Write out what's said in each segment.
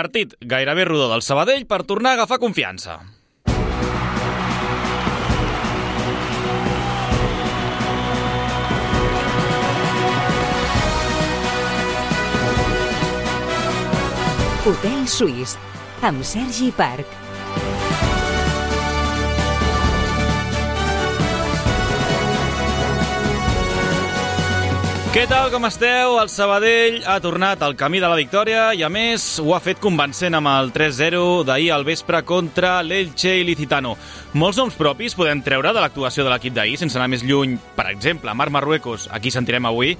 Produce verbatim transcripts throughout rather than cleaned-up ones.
Partit gairebé rodó del Sabadell per tornar a agafar confiança. Hotel Suís, amb Sergi Parc. Què tal, com esteu? El Sabadell ha tornat al camí de la victòria i, a més, ho ha fet convencent amb el tres zero d'ahir al vespre contra l'Elche Ilicitano. Molts noms propis podem treure de l'actuació de l'equip d'ahir, sense anar més lluny. Per exemple, Marc Marruecos, aquí sentirem avui,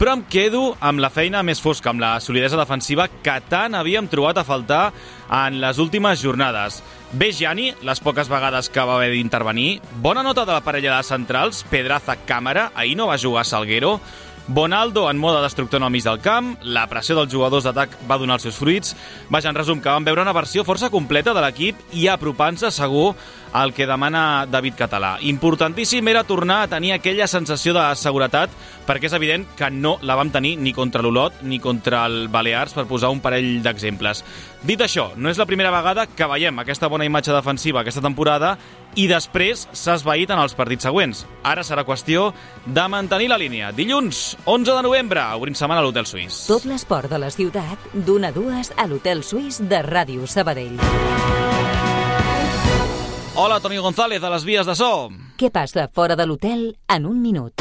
però em quedo amb la feina més fosca, amb la solidesa defensiva que tant havíem trobat a faltar en les últimes jornades. Bejani, les poques vegades que va haver d'intervenir. Bona nota de la parella de centrals, Pedraza-Càmara, ahir no va jugar Salguero. Bonaldo en mode destructor en el mig del camp, la pressió dels jugadors d'atac va donar els seus fruits. Vaja, en resum, que vam veure una versió força completa de l'equip i apropant-se segur al que demana David Català. Importantíssim era tornar a tenir aquella sensació de seguretat, perquè és evident que no la vam tenir ni contra l'Olot ni contra el Balears, per posar un parell d'exemples. Dit això, no és la primera vegada que veiem aquesta bona imatge defensiva aquesta temporada i després s'ha esvaït en els partits següents. Ara serà qüestió de mantenir la línia. Dilluns, onze de novembre, obrim setmana a l'Hotel Suís. Tot l'esport de la ciutat, d'una a dues a l'Hotel Suís de Ràdio Sabadell. Hola, Toni González, a les vies de so. Què passa fora de l'hotel en un minut?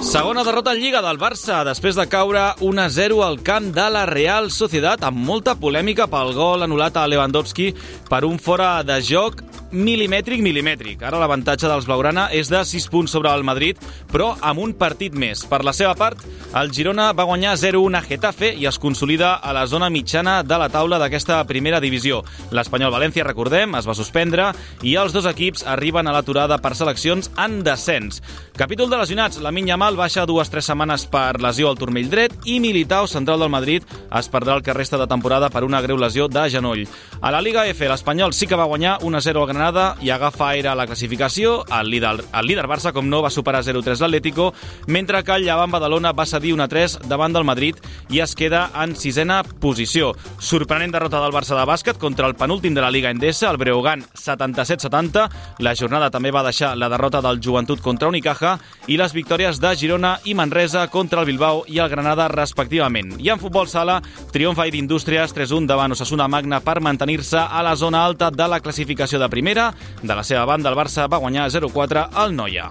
Segona derrota en Lliga del Barça, després de caure un a zero al camp de la Real Sociedad, amb molta polèmica pel gol anul·lat a Lewandowski per un fora de joc milimètric, milimètric. Ara l'avantatge dels blaugrana és de sis punts sobre el Madrid, però amb un partit més. Per la seva part, el Girona va guanyar zero a un a Getafe i es consolida a la zona mitjana de la taula d'aquesta primera divisió. L'Espanyol València, recordem, es va suspendre i els dos equips arriben a l'aturada per seleccions en descens. Capítol de lesionats, Lamine Yamal baixa dues o tres setmanes per lesió al turmell dret i Militao, central del Madrid, es perdrà el que resta de temporada per una greu lesió de genoll. A la Liga F, l'Espanyol sí que va guanyar un a zero al Granada i agafa aire a la classificació. El líder, el líder Barça, com no, va superar zero a tres l'Atlético, mentre que el Llevant Badalona va cedir un a tres davant del Madrid i es queda en sisena posició. Sorprenent derrota del Barça de bàsquet contra el penúltim de la Liga Endesa, el Breogán setanta-set setanta. La jornada també va deixar la derrota del Joventut contra Unicaja i les victòries de Girona i Manresa contra el Bilbao i el Granada, respectivament. I en futbol sala, triomf ahir d'Indústries tres a un davant Osasuna Magna per mantenir-se a la zona alta de la classificació de primera. De la seva banda, el Barça va guanyar zero a quatre al Noia.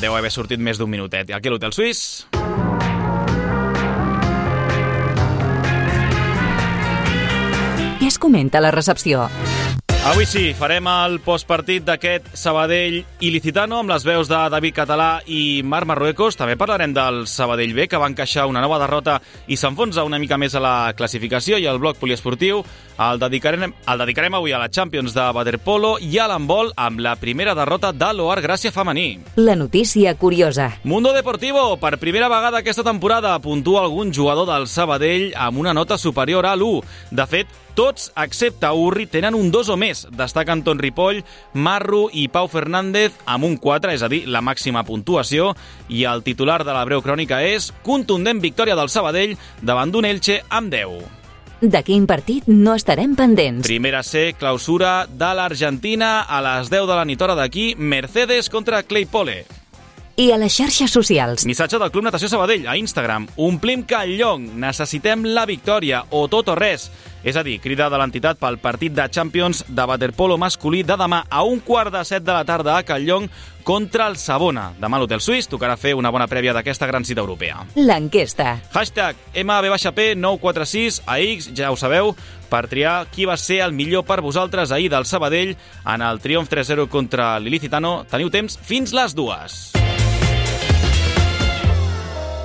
Deu haver sortit més d'un minutet. Aquí a l'Hotel Suís. Què es comenta a la recepció? Avui sí, farem el postpartit d'aquest Sabadell Ilicitano amb les veus de David Català i Marc Marruecos. També parlarem del Sabadell B, que va encaixar una nova derrota i s'enfonsa una mica més a la classificació, i el bloc poliesportiu el dedicarem, el dedicarem avui a la Champions de waterpolo i a l'handbol amb la primera derrota de l'Oar Gràcia femení. La notícia curiosa. Mundo Deportivo, per primera vegada aquesta temporada puntua algun jugador del Sabadell amb una nota superior a l'u. De fet, tots, excepte Urri, tenen un dos o més. Destaquen Ton Ripoll, Marru i Pau Fernández amb un quatre, és a dir, la màxima puntuació, i el titular de la breu crònica és contundent victòria del Sabadell davant d'un Elche amb deu. De quin partit no estarem pendents? Primera C, clausura de l'Argentina a les deu de la nit hora d'aquí, Mercedes contra Claypole. I a les xarxes socials. Missatge del Club Natació Sabadell a Instagram. Omplim Callong, necessitem la victòria o tot o res. És a dir, crida de l'entitat pel partit de Champions de waterpolo masculí de demà a un quart de set de la tarda a Callong contra el Savona. Demà a l'Hotel Suís tocarà fer una bona prèvia d'aquesta gran cita europea. L'enquesta. Hashtag M B P nou quatre sis a X, ja ho sabeu, per triar qui va ser el millor per vosaltres ahir del Sabadell en el triomf tres zero contra l'Ilicitano. Teniu temps fins les dues.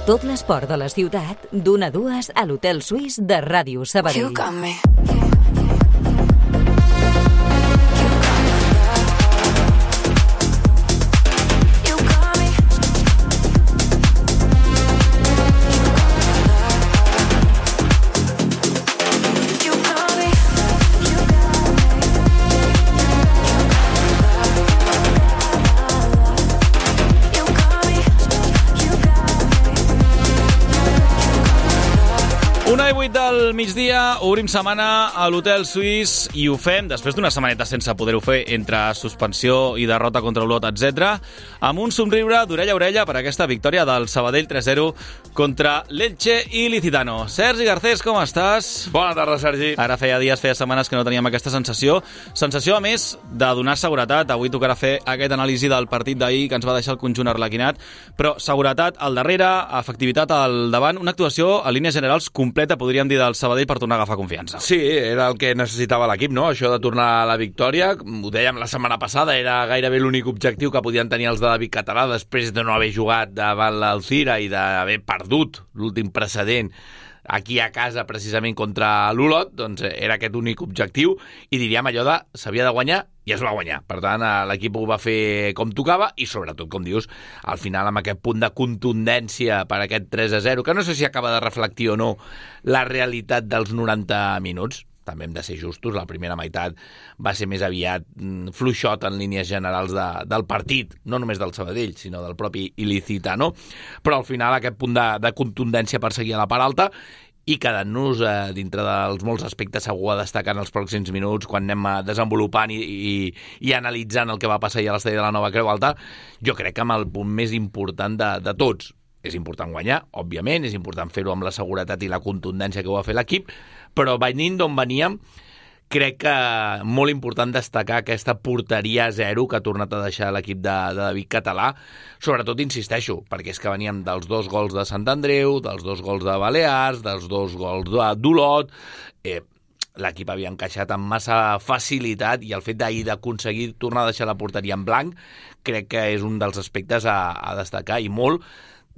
Tot l'esport de la ciutat, d'una a dues a l'Hotel Suís de Ràdio Sabadell. migdia, obrim setmana a l'Hotel Suís i ho fem després d'una setmaneta sense poder-ho fer entre suspensió i derrota contra Olot, etcètera, amb un somriure d'orella a orella per aquesta victòria del Sabadell tres zero contra l'Elche i Licitano. Sergi Garcés, com estàs? Bona tarda, Sergi. Ara feia dies, feia setmanes que no teníem aquesta sensació. Sensació, a més, de donar seguretat. Avui tocarà fer aquest anàlisi del partit d'ahir que ens va deixar el conjunt arlequinat, però seguretat al darrere, efectivitat al davant, una actuació a línies generals completa, podríem dir, del Sabadell per tornar a agafar confiança. Sí, era el que necessitava l'equip, no? Això de tornar a la victòria. Ho dèiem la setmana passada, era gairebé l'únic objectiu que podien tenir els de David Català després de no haver jugat davant l'Alcira i d'haver perdut l'últim precedent aquí a casa, precisament contra l'Olot. Doncs era aquest únic objectiu i diríem allò de s'havia de guanyar i es va guanyar. Per tant, l'equip ho va fer com tocava i, sobretot, com dius, al final amb aquest punt de contundència per aquest tres a zero, que no sé si acaba de reflectir o no la realitat dels noranta minuts. També hem de ser justos, la primera meitat va ser més aviat fluixot en línies generals de, del partit, no només del Sabadell, sinó del propi Ilicitano, però al final aquest punt de, de contundència per seguir a la part alta i quedant-nos eh, dintre dels molts aspectes segur a destacar en els pròxims minuts quan anem desenvolupant i, i, i analitzant el que va passar a l'estadi de la Nova Creu Alta, jo crec que amb el punt més important de, de tots. És important guanyar, òbviament, és important fer-ho amb la seguretat i la contundència que ho va fer l'equip, però venint d'on veníem, crec que molt important destacar aquesta porteria a zero que ha tornat a deixar l'equip de, de David Català. Sobretot, insisteixo, perquè és que veníem dels dos gols de Sant Andreu, dels dos gols de Balears, dels dos gols d'Olot. Eh, l'equip havia encaixat amb massa facilitat i el fet d'ahir d'aconseguir tornar a deixar la porteria en blanc crec que és un dels aspectes a, a destacar, i molt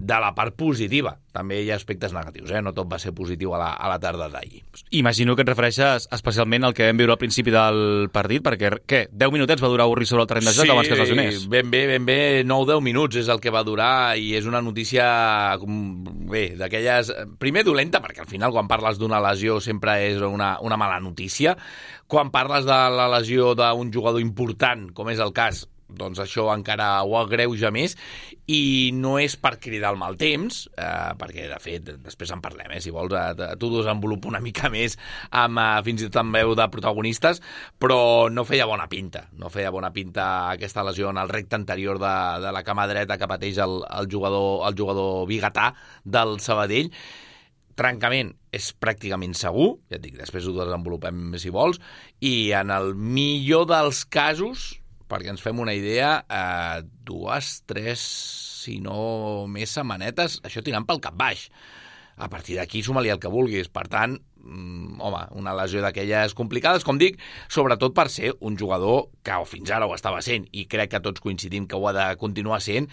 de la part positiva. També hi ha aspectes negatius, eh? No tot va ser positiu a la, a la tarda d'ahir. Imagino que et refereixes especialment al que vam viure al principi del partit, perquè, què, deu minutets va durar Urri sobre el terreny de joc sí, abans que es lesionés? Sí, ben bé, ben bé, nou deu minuts és el que va durar i és una notícia, bé, d'aquelles... Primer dolenta, perquè al final quan parles d'una lesió sempre és una, una mala notícia. Quan parles de la lesió d'un jugador important, com és el cas, doncs això encara ho agreuja més, i no és per cridar el mal temps, eh, perquè de fet després en parlem, eh, si vols eh, t'ho desenvolupo una mica més amb, eh, fins i tot amb veu de protagonistes, però no feia bona pinta no feia bona pinta aquesta lesió en el recte anterior de, de la cama dreta que pateix el, el, jugador, el jugador biguetà del Sabadell. Trencament és pràcticament segur, ja et dic, després ho desenvolupem si vols, i en el millor dels casos, perquè ens fem una idea, eh, dues, tres, si no més setmanetes, això tirant pel cap baix. A partir d'aquí suma-li el que vulguis. Per tant, mm, home, una lesió d'aquelles complicades, com dic, sobretot per ser un jugador que fins ara ho estava sent, i crec que tots coincidim que ho ha de continuar sent,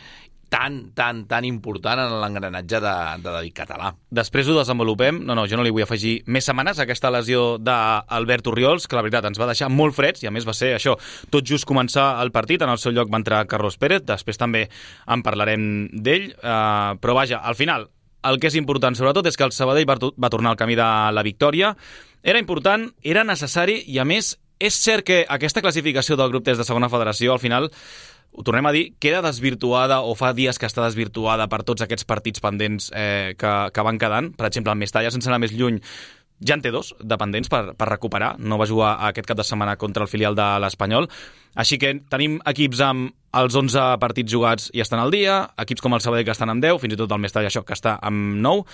tan, tan, tan important en l'engranatge de, de David Català. Després ho desenvolupem. No, no, jo no li vull afegir més setmanes a aquesta lesió d'Albert Orriols, que la veritat ens va deixar molt freds, i a més va ser això, tot just començar el partit, en el seu lloc va entrar Carlos Pérez, després també en parlarem d'ell, eh, però vaja, al final, el que és important sobretot és que el Sabadell va, va tornar al camí de la victòria. Era important, era necessari, i a més és cert que aquesta classificació del grup tres de segona federació al final, ho tornem a dir, queda desvirtuada, o fa dies que està desvirtuada per tots aquests partits pendents eh, que, que van quedant. Per exemple, el Mestalla, sense anar més lluny, ja en té dos de pendents per, per recuperar. No va jugar aquest cap de setmana contra el filial de l'Espanyol. Així que tenim equips amb els onze partits jugats i estan al dia, equips com el Sabadell que estan amb deu, fins i tot el Mestalla, això, que està amb nou,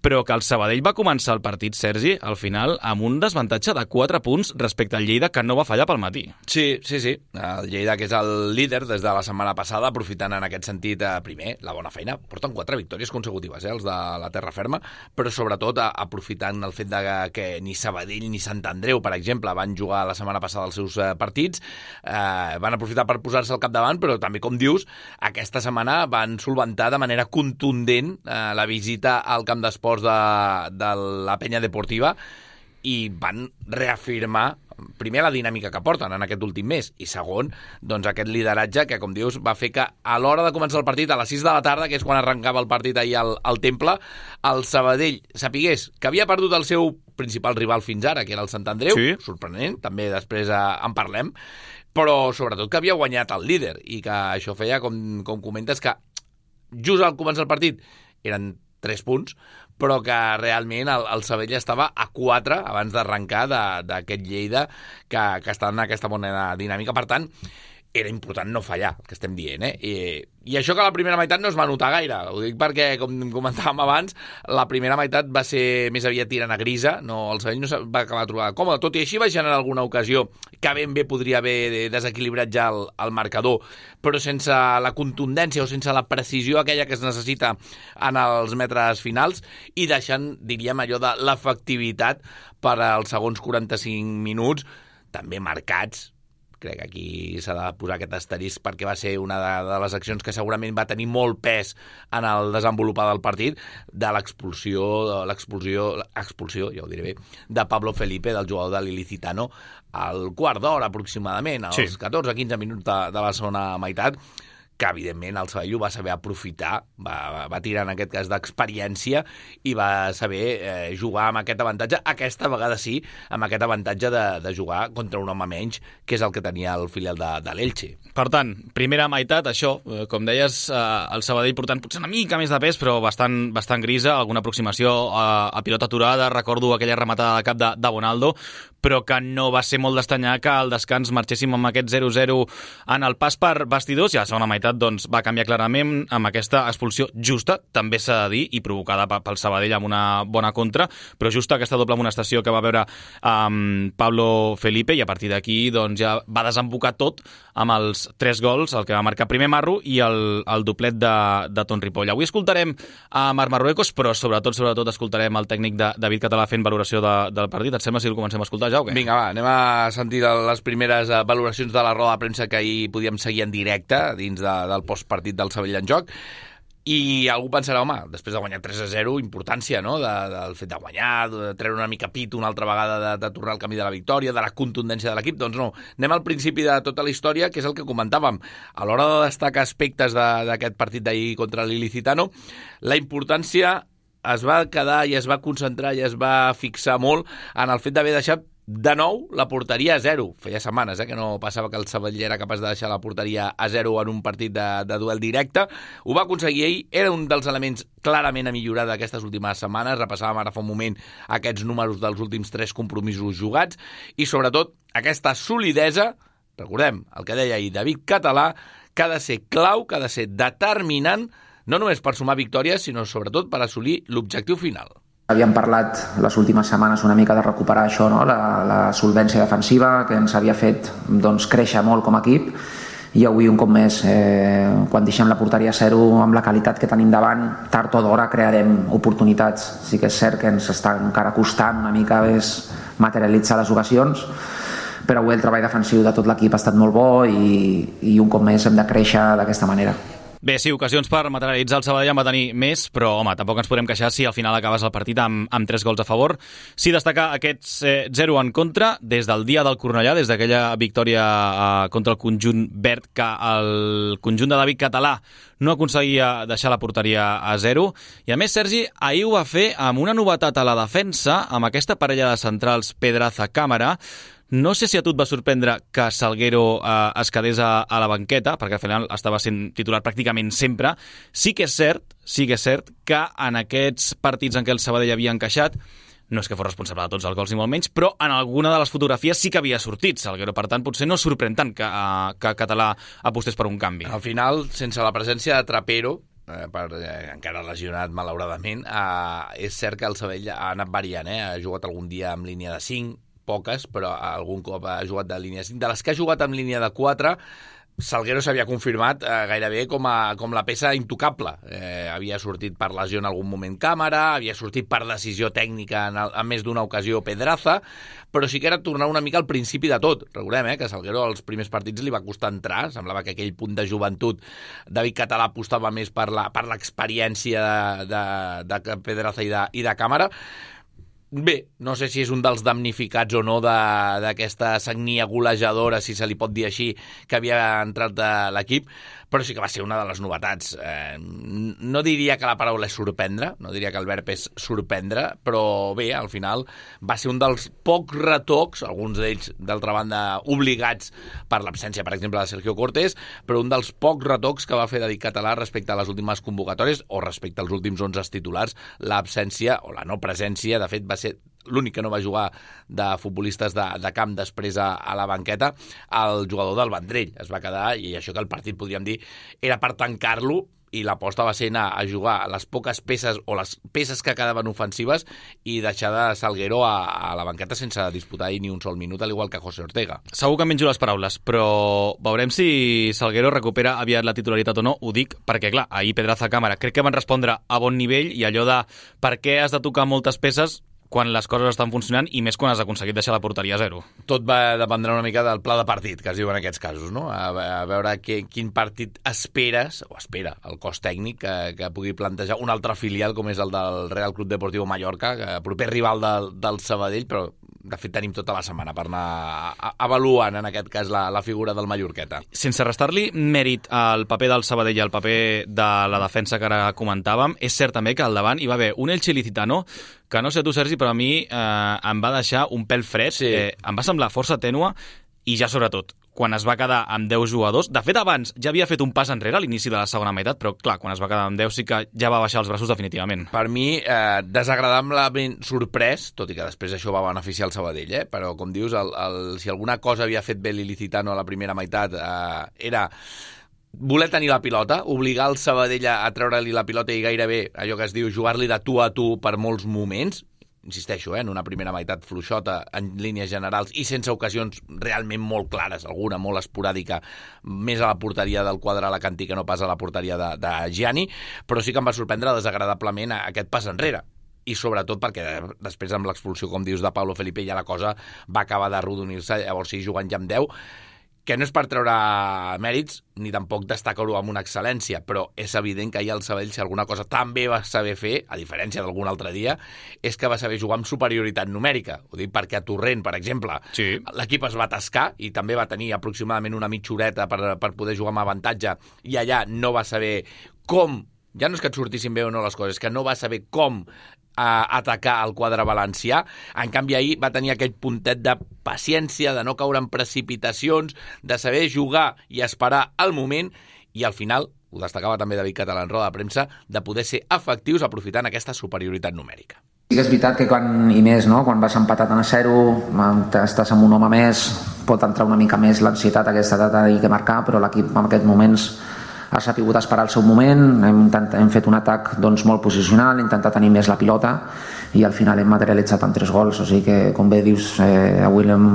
però que el Sabadell va començar el partit, Sergi, al final, amb un desavantatge de quatre punts respecte al Lleida, que no va fallar pel matí. Sí, sí, sí. El Lleida, que és el líder des de la setmana passada, aprofitant en aquest sentit, eh, primer, la bona feina. Porten quatre victòries consecutives, eh, els de la terra ferma, però sobretot eh, aprofitant el fet de que ni Sabadell ni Sant Andreu, per exemple, van jugar la setmana passada els seus eh, partits, eh, van aprofitar per posar-se al capdavant, però també, com dius, aquesta setmana van solventar de manera contundent eh, la visita al camp d'esports de, de la Penya Deportiva, i van reafirmar primer la dinàmica que porten en aquest últim mes, i segon, doncs aquest lideratge que, com dius, va fer que a l'hora de començar el partit, a les sis de la tarda, que és quan arrencava el partit ahir al, al Temple, el Sabadell sapigués que havia perdut el seu principal rival fins ara, que era el Sant Andreu, sí. Sorprenent, també després eh, en parlem, però sobretot que havia guanyat el líder, i que això feia, com, com comentes, que just al començar el partit eren tres punts, però que realment el, el Sabadell estava a quatre abans d'arrencar d'aquest Lleida que, que està en aquesta bona dinàmica. Per tant, era important no fallar, el que estem dient, eh? I, I això que la primera meitat no es va notar gaire. Ho dic perquè, com comentàvem abans, la primera meitat va ser més aviat tirant a grisa, no, el Sabadell no se va acabar trobant còmode. Tot i així va generar alguna ocasió que ben bé podria haver desequilibrat ja el, el marcador, però sense la contundència o sense la precisió aquella que es necessita en els metres finals i deixant, diríem, allò de l'efectivitat per als segons quaranta-cinc minuts, també marcats. Crec que aquí s'ha de posar aquest asterisc perquè va ser una de, de les accions que segurament va tenir molt pes en el desenvolupar del partit, de l'expulsió, l'expulsió, l'expulsió, ja ho diré bé, de Pablo Felipe, del jugador de l'Ilicitano, al quart d'hora aproximadament, als sí. catorze a quinze minuts de, de la segona meitat, que evidentment el Sabadell ho va saber aprofitar, va, va tirar en aquest cas d'experiència i va saber eh, jugar amb aquest avantatge, aquesta vegada sí, amb aquest avantatge de, de jugar contra un home menys, que és el que tenia el filial de, de l'Elche. Per tant, primera meitat, això, eh, com deies, eh, el Sabadell portant potser una mica més de pes, però bastant, bastant grisa, alguna aproximació a, a pilota aturada, recordo aquella rematada de cap de, de Bonaldo, però que no va ser molt d'estanyar que al descans marxéssim amb aquest zero zero en el pas per vestidors, i a la segona meitat doncs, va canviar clarament amb aquesta expulsió justa, també s'ha de dir, i provocada pel Sabadell amb una bona contra, però justa aquesta doble amonestació que va veure amb Pablo Felipe, i a partir d'aquí doncs, ja va desembocar tot amb els tres gols, el que va marcar primer Marro i el, el doplet de, de Ton Ripoll. Avui escoltarem a Marc Marruecos, però sobretot sobretot escoltarem el tècnic de David Català fent valoració de, del partit. Et sembla si el comencem a escoltar? Ja, okay. Vinga, va, anem a sentir les primeres valoracions de la roda de premsa que ahir podíem seguir en directe dins de, del postpartit del Sabadell en joc. I algú pensarà, home, després de guanyar tres a zero, importància, no?, de, del fet de guanyar, de treure una mica pit una altra vegada, de, de tornar al camí de la victòria, de la contundència de l'equip. Doncs no, anem al principi de tota la història, que és el que comentàvem. A l'hora de destacar aspectes d'aquest partit d'ahir contra l'Ilicitano, la importància es va quedar i es va concentrar i es va fixar molt en el fet d'haver deixat de nou la porteria a zero. Feia setmanes eh, que no passava que el Sabadell era capaç de deixar la porteria a zero en un partit de, de duel directe. Ho va aconseguir ell, era un dels elements clarament a millorar d'aquestes últimes setmanes. Repassàvem ara fa un moment aquests números dels últims tres compromisos jugats i sobretot aquesta solidesa, recordem el que deia ahir David Català, que ha de ser clau, que ha de ser determinant, no només per sumar victòries, sinó sobretot per assolir l'objectiu final. Havíem parlat les últimes setmanes una mica de recuperar això, no? la, la solvència defensiva que ens havia fet doncs, créixer molt com a equip, i avui un cop més, eh, quan deixem la porteria a zero amb la qualitat que tenim davant, tard o d'hora crearem oportunitats. Sí que és cert que ens està encara costant una mica més materialitzar les ocasions, però avui el treball defensiu de tot l'equip ha estat molt bo i, i un cop més hem de créixer d'aquesta manera. Bé, sí, ocasions per materialitzar el Sabadell en va tenir més, però, home, tampoc ens podem queixar si al final acabes el partit amb, amb tres gols a favor. Sí destacar aquests eh, zero en contra des del dia del Cornellà, des d'aquella victòria eh, contra el conjunt verd, que el conjunt de David Català no aconseguia deixar la porteria a zero. I a més, Sergi, ahir ho va fer amb una novetat a la defensa, amb aquesta parella de centrals Pedraza-Càmera. No sé si a tu et va sorprendre que Salguero eh, es quedés a, a la banqueta, perquè al final estava sent titular pràcticament sempre. Sí que és cert, sí que és cert que en aquests partits en què el Sabadell havia encaixat, no és que fos responsable de tots els gols ni molt menys, però en alguna de les fotografies sí que havia sortit Salguero. Per tant, potser no sorprèn tant que, uh, que Català apostés per un canvi. Al final, sense la presència de Trapero, eh, per, eh, encara lesionat malauradament, eh, és cert que el Sabadell ha anat variant, eh? Ha jugat algun dia amb línia de cinc, poques, però algun cop ha jugat de línia de cinc. De les que ha jugat amb línia de quatre, Salguero s'havia confirmat eh, gairebé com, a, com la peça intocable. Eh, havia sortit per lesió en algun moment Càmera, havia sortit per decisió tècnica en, el, en més d'una ocasió Pedraza, però sí que era tornar una mica al principi de tot. Recordem eh, que Salguero als primers partits li va costar entrar, semblava que aquell punt de joventut David Català apostava més per la, per l'experiència de, de, de Pedraza i de, i de Càmera. Bé, no sé si és un dels damnificats o no d'aquesta sagnia golejadora, si se li pot dir així, que havia entrat de l'equip, però sí que va ser una de les novetats. Eh, no diria que la paraula és sorprendre, no diria que el verb és sorprendre, però bé, al final va ser un dels pocs retocs, alguns d'ells, d'altra banda, obligats per l'absència, per exemple, de Sergio Cortés, però un dels pocs retocs que va fer David Català respecte a les últimes convocatòries o respecte als últims onze titulars, l'absència o la no presència, de fet, va ser l'únic que no va jugar de futbolistes de, de camp després a, a la banqueta, el jugador del Vendrell es va quedar, i això que el partit, podríem dir, era per tancar-lo, i l'aposta va ser anar a jugar les poques peces o les peces que quedaven ofensives i deixar de Salguero a, a la banqueta sense disputar ni un sol minut, al igual que José Ortega. Segur que em menjo les paraules, però veurem si Salguero recupera aviat la titularitat o no. Ho dic perquè, clar, ahir Pedraza Càmera crec que van respondre a bon nivell, i allò de per què has de tocar moltes peces quan les coses estan funcionant, i més quan has aconseguit deixar la porteria a zero. Tot va dependre una mica del pla de partit, que es diu en aquests casos, no? A, a veure que, quin partit esperes, o espera el cos tècnic, que, que pugui plantejar un altre filial, com és el del Real Club Deportivo Mallorca, que proper rival del, del Sabadell, però de fet tenim tota la setmana per anar avaluant, en aquest cas, la, la figura del mallorqueta. Sense restar-li mèrit al paper del Sabadell i al paper de la defensa que ara comentàvem, és cert també que al davant hi va haver un Elche Ilicitano que, no sé tu, Sergi, però a mi eh, em va deixar un pèl fred, sí. eh, em va semblar força tènua, i ja sobretot quan es va quedar amb deu jugadors. De fet, abans ja havia fet un pas enrere a l'inici de la segona meitat, però clar, quan es va quedar amb deu sí que ja va baixar els braços definitivament. Per mi, eh, desagradablement sorprès, tot i que després això va beneficiar el Sabadell, eh? Però com dius, el, el, si alguna cosa havia fet bé l'Ilicitano a la primera meitat eh, era voler tenir la pilota, obligar el Sabadell a treure-li la pilota i gairebé, allò que es diu, jugar-li de tu a tu per molts moments. Insisteixo, eh, en una primera meitat fluixota en línies generals i sense ocasions realment molt clares, alguna molt esporàdica, més a la porteria del quadre alacantí que no pas a la porteria de, de Gianni, però sí que em va sorprendre desagradablement aquest pas enrere. I sobretot perquè després amb l'expulsió, com dius, de Pablo Felipe, ja la cosa va acabar d'arrodonir-se, llavors sí, jugant ja amb deu, que no és per treure mèrits, ni tampoc destacar-ho amb una excel·lència, però és evident que ahir el Sabadell, si alguna cosa també va saber fer, a diferència d'algun altre dia, és que va saber jugar amb superioritat numèrica. Ho dic perquè a Torrent, per exemple, sí. l'equip es va atascar i també va tenir aproximadament una mitja horeta per, per poder jugar amb avantatge, i allà no va saber com, ja no és que et sortissin bé o no les coses, és que no va saber com a atacar el quadre valencià. En canvi, ahir va tenir aquell puntet de paciència, de no caure en precipitacions, de saber jugar i esperar el moment, i al final, ho destacava també David Català en roda de premsa, de poder ser efectius aprofitant aquesta superioritat numèrica. Sí que és veritat que quan, i més, no? Quan vas empatat a zero, estàs amb un home més, pot entrar una mica més l'ansietat aquesta de tenir que marcar, però l'equip en aquests moments ha sapigut esperar el seu moment, hem, intent, hem fet un atac doncs, molt posicional, hem intentat tenir més la pilota i al final hem materialitzat amb tres gols, o sigui que, com bé dius, eh, avui hem,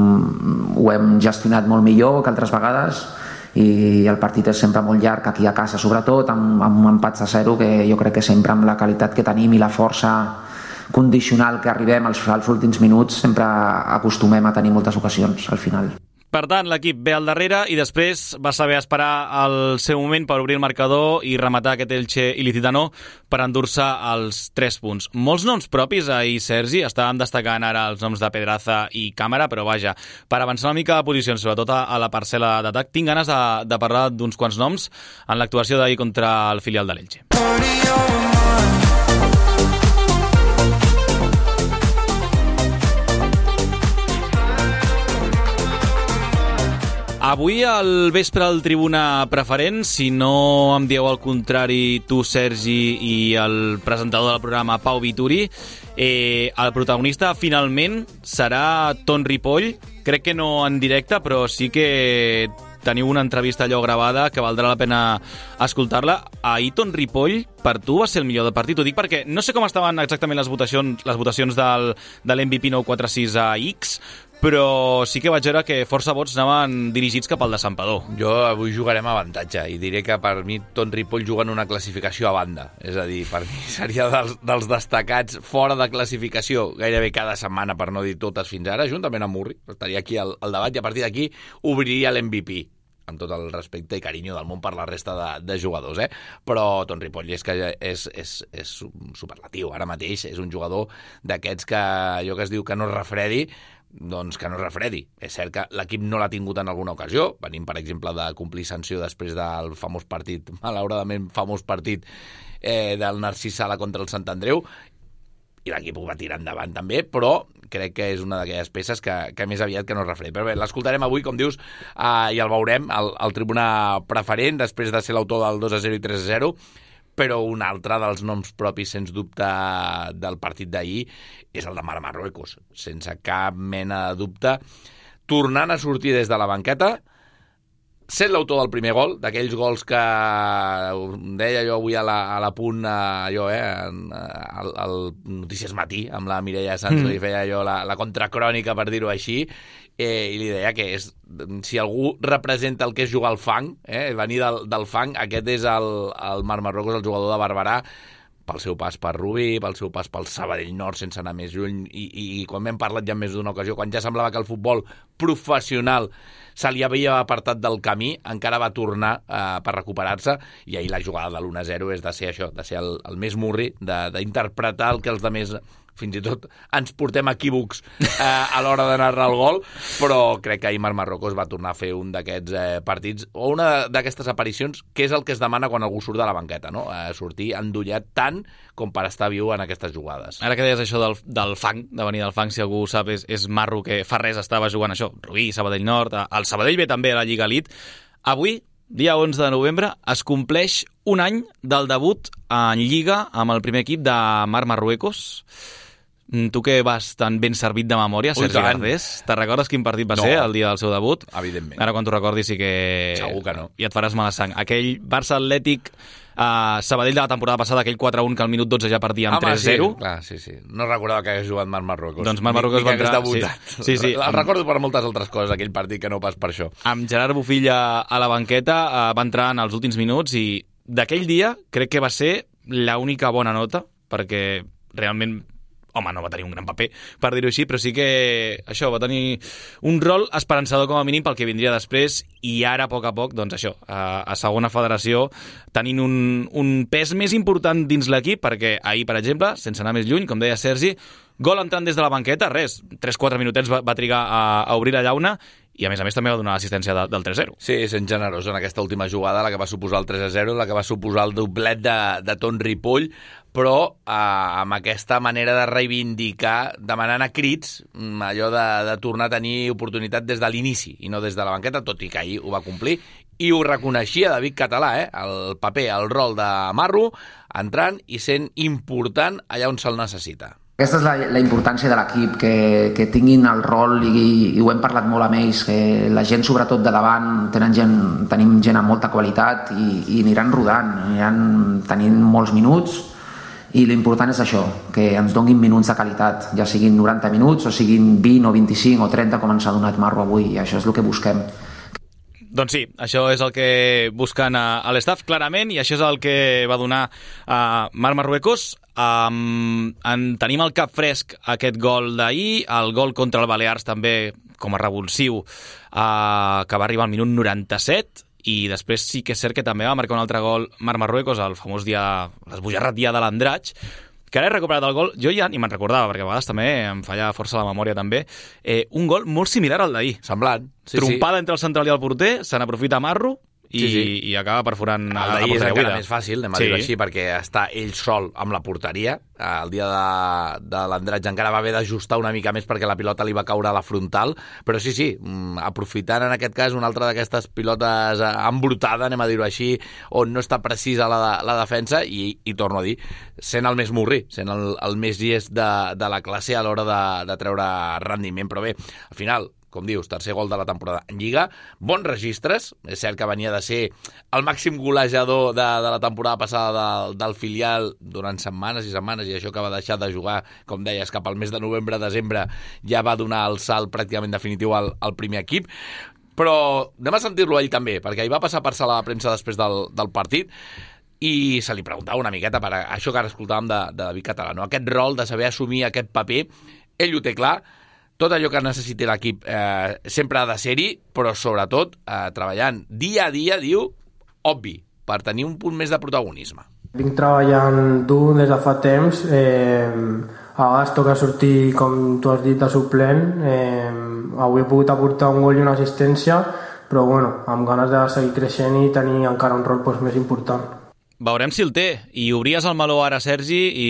ho hem gestionat molt millor que altres vegades, i el partit és sempre molt llarg, aquí a casa sobretot, amb, amb empats a zero, que jo crec que sempre amb la qualitat que tenim i la força condicional que arribem als, als últims minuts, sempre acostumem a tenir moltes ocasions al final. Per tant, l'equip ve al darrere i després va saber esperar el seu moment per obrir el marcador i rematar aquest Elche Ilicitano per endur-se els tres punts. Molts noms propis ahir, Sergi, estàvem destacant ara els noms de Pedraza i Càmera, però vaja, per avançar una mica de posicions, sobretot a, a la parcel·la d'atac, tinc ganes de, de parlar d'uns quants noms en l'actuació d'ahir contra el filial de l'Elche. Avui al vespre al Tribuna Preferent, si no em dieu el contrari tu, Sergi, i el presentador del programa, Pau Vituri, eh, el protagonista finalment serà Ton Ripoll. Crec que no en directe, però sí que teniu una entrevista allò gravada que valdrà la pena escoltar-la. Ahir Ton Ripoll, per tu, va ser el millor del partit. Ho dic perquè no sé com estaven exactament les votacions, les votacions del, de l'M V P nou quatre sis a X, però sí que vaig veure que força vots anaven dirigits cap al de Santpedor. Jo avui jugarem a avantatge i diré que per mi Ton Ripoll juga en una classificació a banda. És a dir, per mi seria dels, dels destacats fora de classificació gairebé cada setmana, per no dir totes fins ara, juntament amb Murri. Estaria aquí al, al debat i a partir d'aquí obriria l'M V P. amb tot el respecte i carinyo del món per la resta de, de jugadors, eh? Però Ton Ripoll és que és, és, és superlatiu. Ara mateix és un jugador d'aquests que allò que es diu que no es refredi, doncs que no es refredi. És cert que l'equip no l'ha tingut en alguna ocasió. Venim, per exemple, de complir sanció després del famós partit, malauradament famós partit eh, del Narcís Sala contra el Sant Andreu, i l'equip ho va tirar endavant també, però crec que és una d'aquelles peces que, que més aviat que no es refredi. Però bé, l'escoltarem avui, com dius, eh, i el veurem al, al tribuna preferent, després de ser l'autor del dos a zero i tres a zero, però un altre dels noms propis, sens dubte, del partit d'ahir és el de Marc Marruecos, sense cap mena de dubte, tornant a sortir des de la banqueta, sent l'autor del primer gol, d'aquells gols que deia jo avui a la, a la punt, allò, eh, al, al Notícies Matí, amb la Mireia Sanz, mm. li feia jo la, la contracrònica, per dir-ho així, eh, i li deia que és, si algú representa el que és jugar al fang, eh, venir del, del fang, aquest és el, el Marc Marruecos, el jugador de Barberà, pel seu pas per Rubí, pel seu pas pel Sabadell Nord, sense anar més lluny, i, i, i quan m'hem parlat ja més d'una ocasió, quan ja semblava que el futbol professional se li havia apartat del camí, encara va tornar eh, per recuperar-se, i ahir la jugada de l'u a zero és de ser això, de ser el, el més murri, d'interpretar el que els altres fins i tot ens portem equívocs eh, a l'hora de narrar el gol, però crec que ahir Marc Marruecos va tornar a fer un d'aquests eh, partits, o una d'aquestes aparicions, que és el que es demana quan algú surt de la banqueta, no? Eh, sortir endollat tant com per estar viu en aquestes jugades. Ara que deies això del, del fang, de venir del fang, si algú sap, és, és Marro, que fa res estava jugant això, Rubí, Sabadell Nord, el Sabadell ve també a la Lliga Elite. Avui, dia onze de novembre, es compleix un any del debut en Lliga amb el primer equip de Marc Marruecos. Tu que vas tan ben servit de memòria, Ui, Sergi Gardés, te recordes quin partit va no. ser el dia del seu debut? Evidentment. Ara quan t'ho recordis sí que... Segur que no. I et faràs mala sang. Aquell Barça-Atlètic uh, Sabadell de la temporada passada, aquell quatre a un que al minut dotze ja perdia amb tres a zero. Sí, clar, sí, sí. No recordava que hagués jugat Marc Marruecos. Doncs Marc Marruecos va entrar... Sí, sí, sí. El amb... recordo per moltes altres coses, aquell partit, que no pas per això. Amb Gerard Bufilla a la banqueta uh, va entrar en els últims minuts i d'aquell dia crec que va ser l'única bona nota, perquè realment... home, no va tenir un gran paper, per dir-ho així, però sí que això va tenir un rol esperançador com a mínim pel que vindria després, i ara, a poc a poc, doncs això, a, a segona federació, tenint un, un pes més important dins l'equip, perquè ahir, per exemple, sense anar més lluny, com deia Sergi, gol entrant des de la banqueta, res, tres quatre minutets va, va trigar a, a obrir la llauna, i a més a més també va donar l'assistència de, del tres a zero. Sí, sent generós en aquesta última jugada, la que va suposar el tres a zero, la que va suposar el doblet de, de Ton Ripoll, però eh, amb aquesta manera de reivindicar, demanant a crits, allò de, de tornar a tenir oportunitat des de l'inici i no des de la banqueta, tot i que ahir ho va complir, i ho reconeixia David Català, eh? El paper, el rol de Marro, entrant i sent important allà on se'l necessita. Aquesta és la, la importància de l'equip, que, que tinguin el rol, i, i ho hem parlat molt amb ells, que la gent, sobretot de davant, tenen gent, tenim gent amb molta qualitat i, i aniran rodant, aniran tenint molts minuts, i l'important és això, que ens donguin minuts de qualitat, ja siguin noranta minuts o siguin vint o vint-i-cinc o trenta com ens ha donat Marro avui, i això és el que busquem. Doncs sí, això és el que busquen a, a l'estaf, clarament, i això és el que va donar a Marc Marruecos. Um, en tenim el cap fresc aquest gol d'ahir, el gol contra el Balears també com a revulsiu, uh, que va arribar al minut noranta-set, i després sí que és cert que també va marcar un altre gol Marc Marruecos, el famós dia, l'esbojarrat dia de l'Andratx, que ara he recuperat el gol, jo ja ni me'n recordava, perquè a vegades també em falla força la memòria també, eh, un gol molt similar al d'ahir. Semblant. Sí, Trompada sí. entre el central i el porter, se n'aprofita Marro, i, sí, sí. i acaba perforant el d'ahir és encara més fàcil, anem a sí. dir-ho així, perquè està ell sol amb la porteria. El dia de, de l'Andratx encara va haver d'ajustar una mica més perquè la pilota li va caure a la frontal, però sí, sí, aprofitant en aquest cas una altra d'aquestes pilotes embrutada, anem a dir-ho així, on no està precisa la, la defensa, i, i torno a dir, sent el més murri, sent el, el més llest de, de la classe a l'hora de, de treure rendiment. Però bé, al final, com dius, tercer gol de la temporada en Lliga, bons registres, és cert que venia de ser el màxim golejador de, de la temporada passada del, del filial durant setmanes i setmanes, i això que va deixar de jugar, com deies, cap al mes de novembre-desembre, ja va donar el salt pràcticament definitiu al, al primer equip. Però anem a sentir-lo ell també, perquè ell va passar per sala de premsa després del, del partit, i se li preguntava una miqueta per això que ara escoltàvem de, de David Català, no? Aquest rol de saber assumir aquest paper, ell ho té clar, tot allò que necessiti l'equip eh, sempre ha de ser-hi, però sobretot eh, treballant dia a dia, diu, obvi, per tenir un punt més de protagonisme. Vinc treballant dur des de fa temps, eh, a vegades toca sortir, com tu has dit, de suplent, eh, avui he pogut aportar un gol i una assistència, però bueno, amb ganes de seguir creixent i tenir encara un rol doncs, més important. Veurem si el té. I obries el meló ara, Sergi, i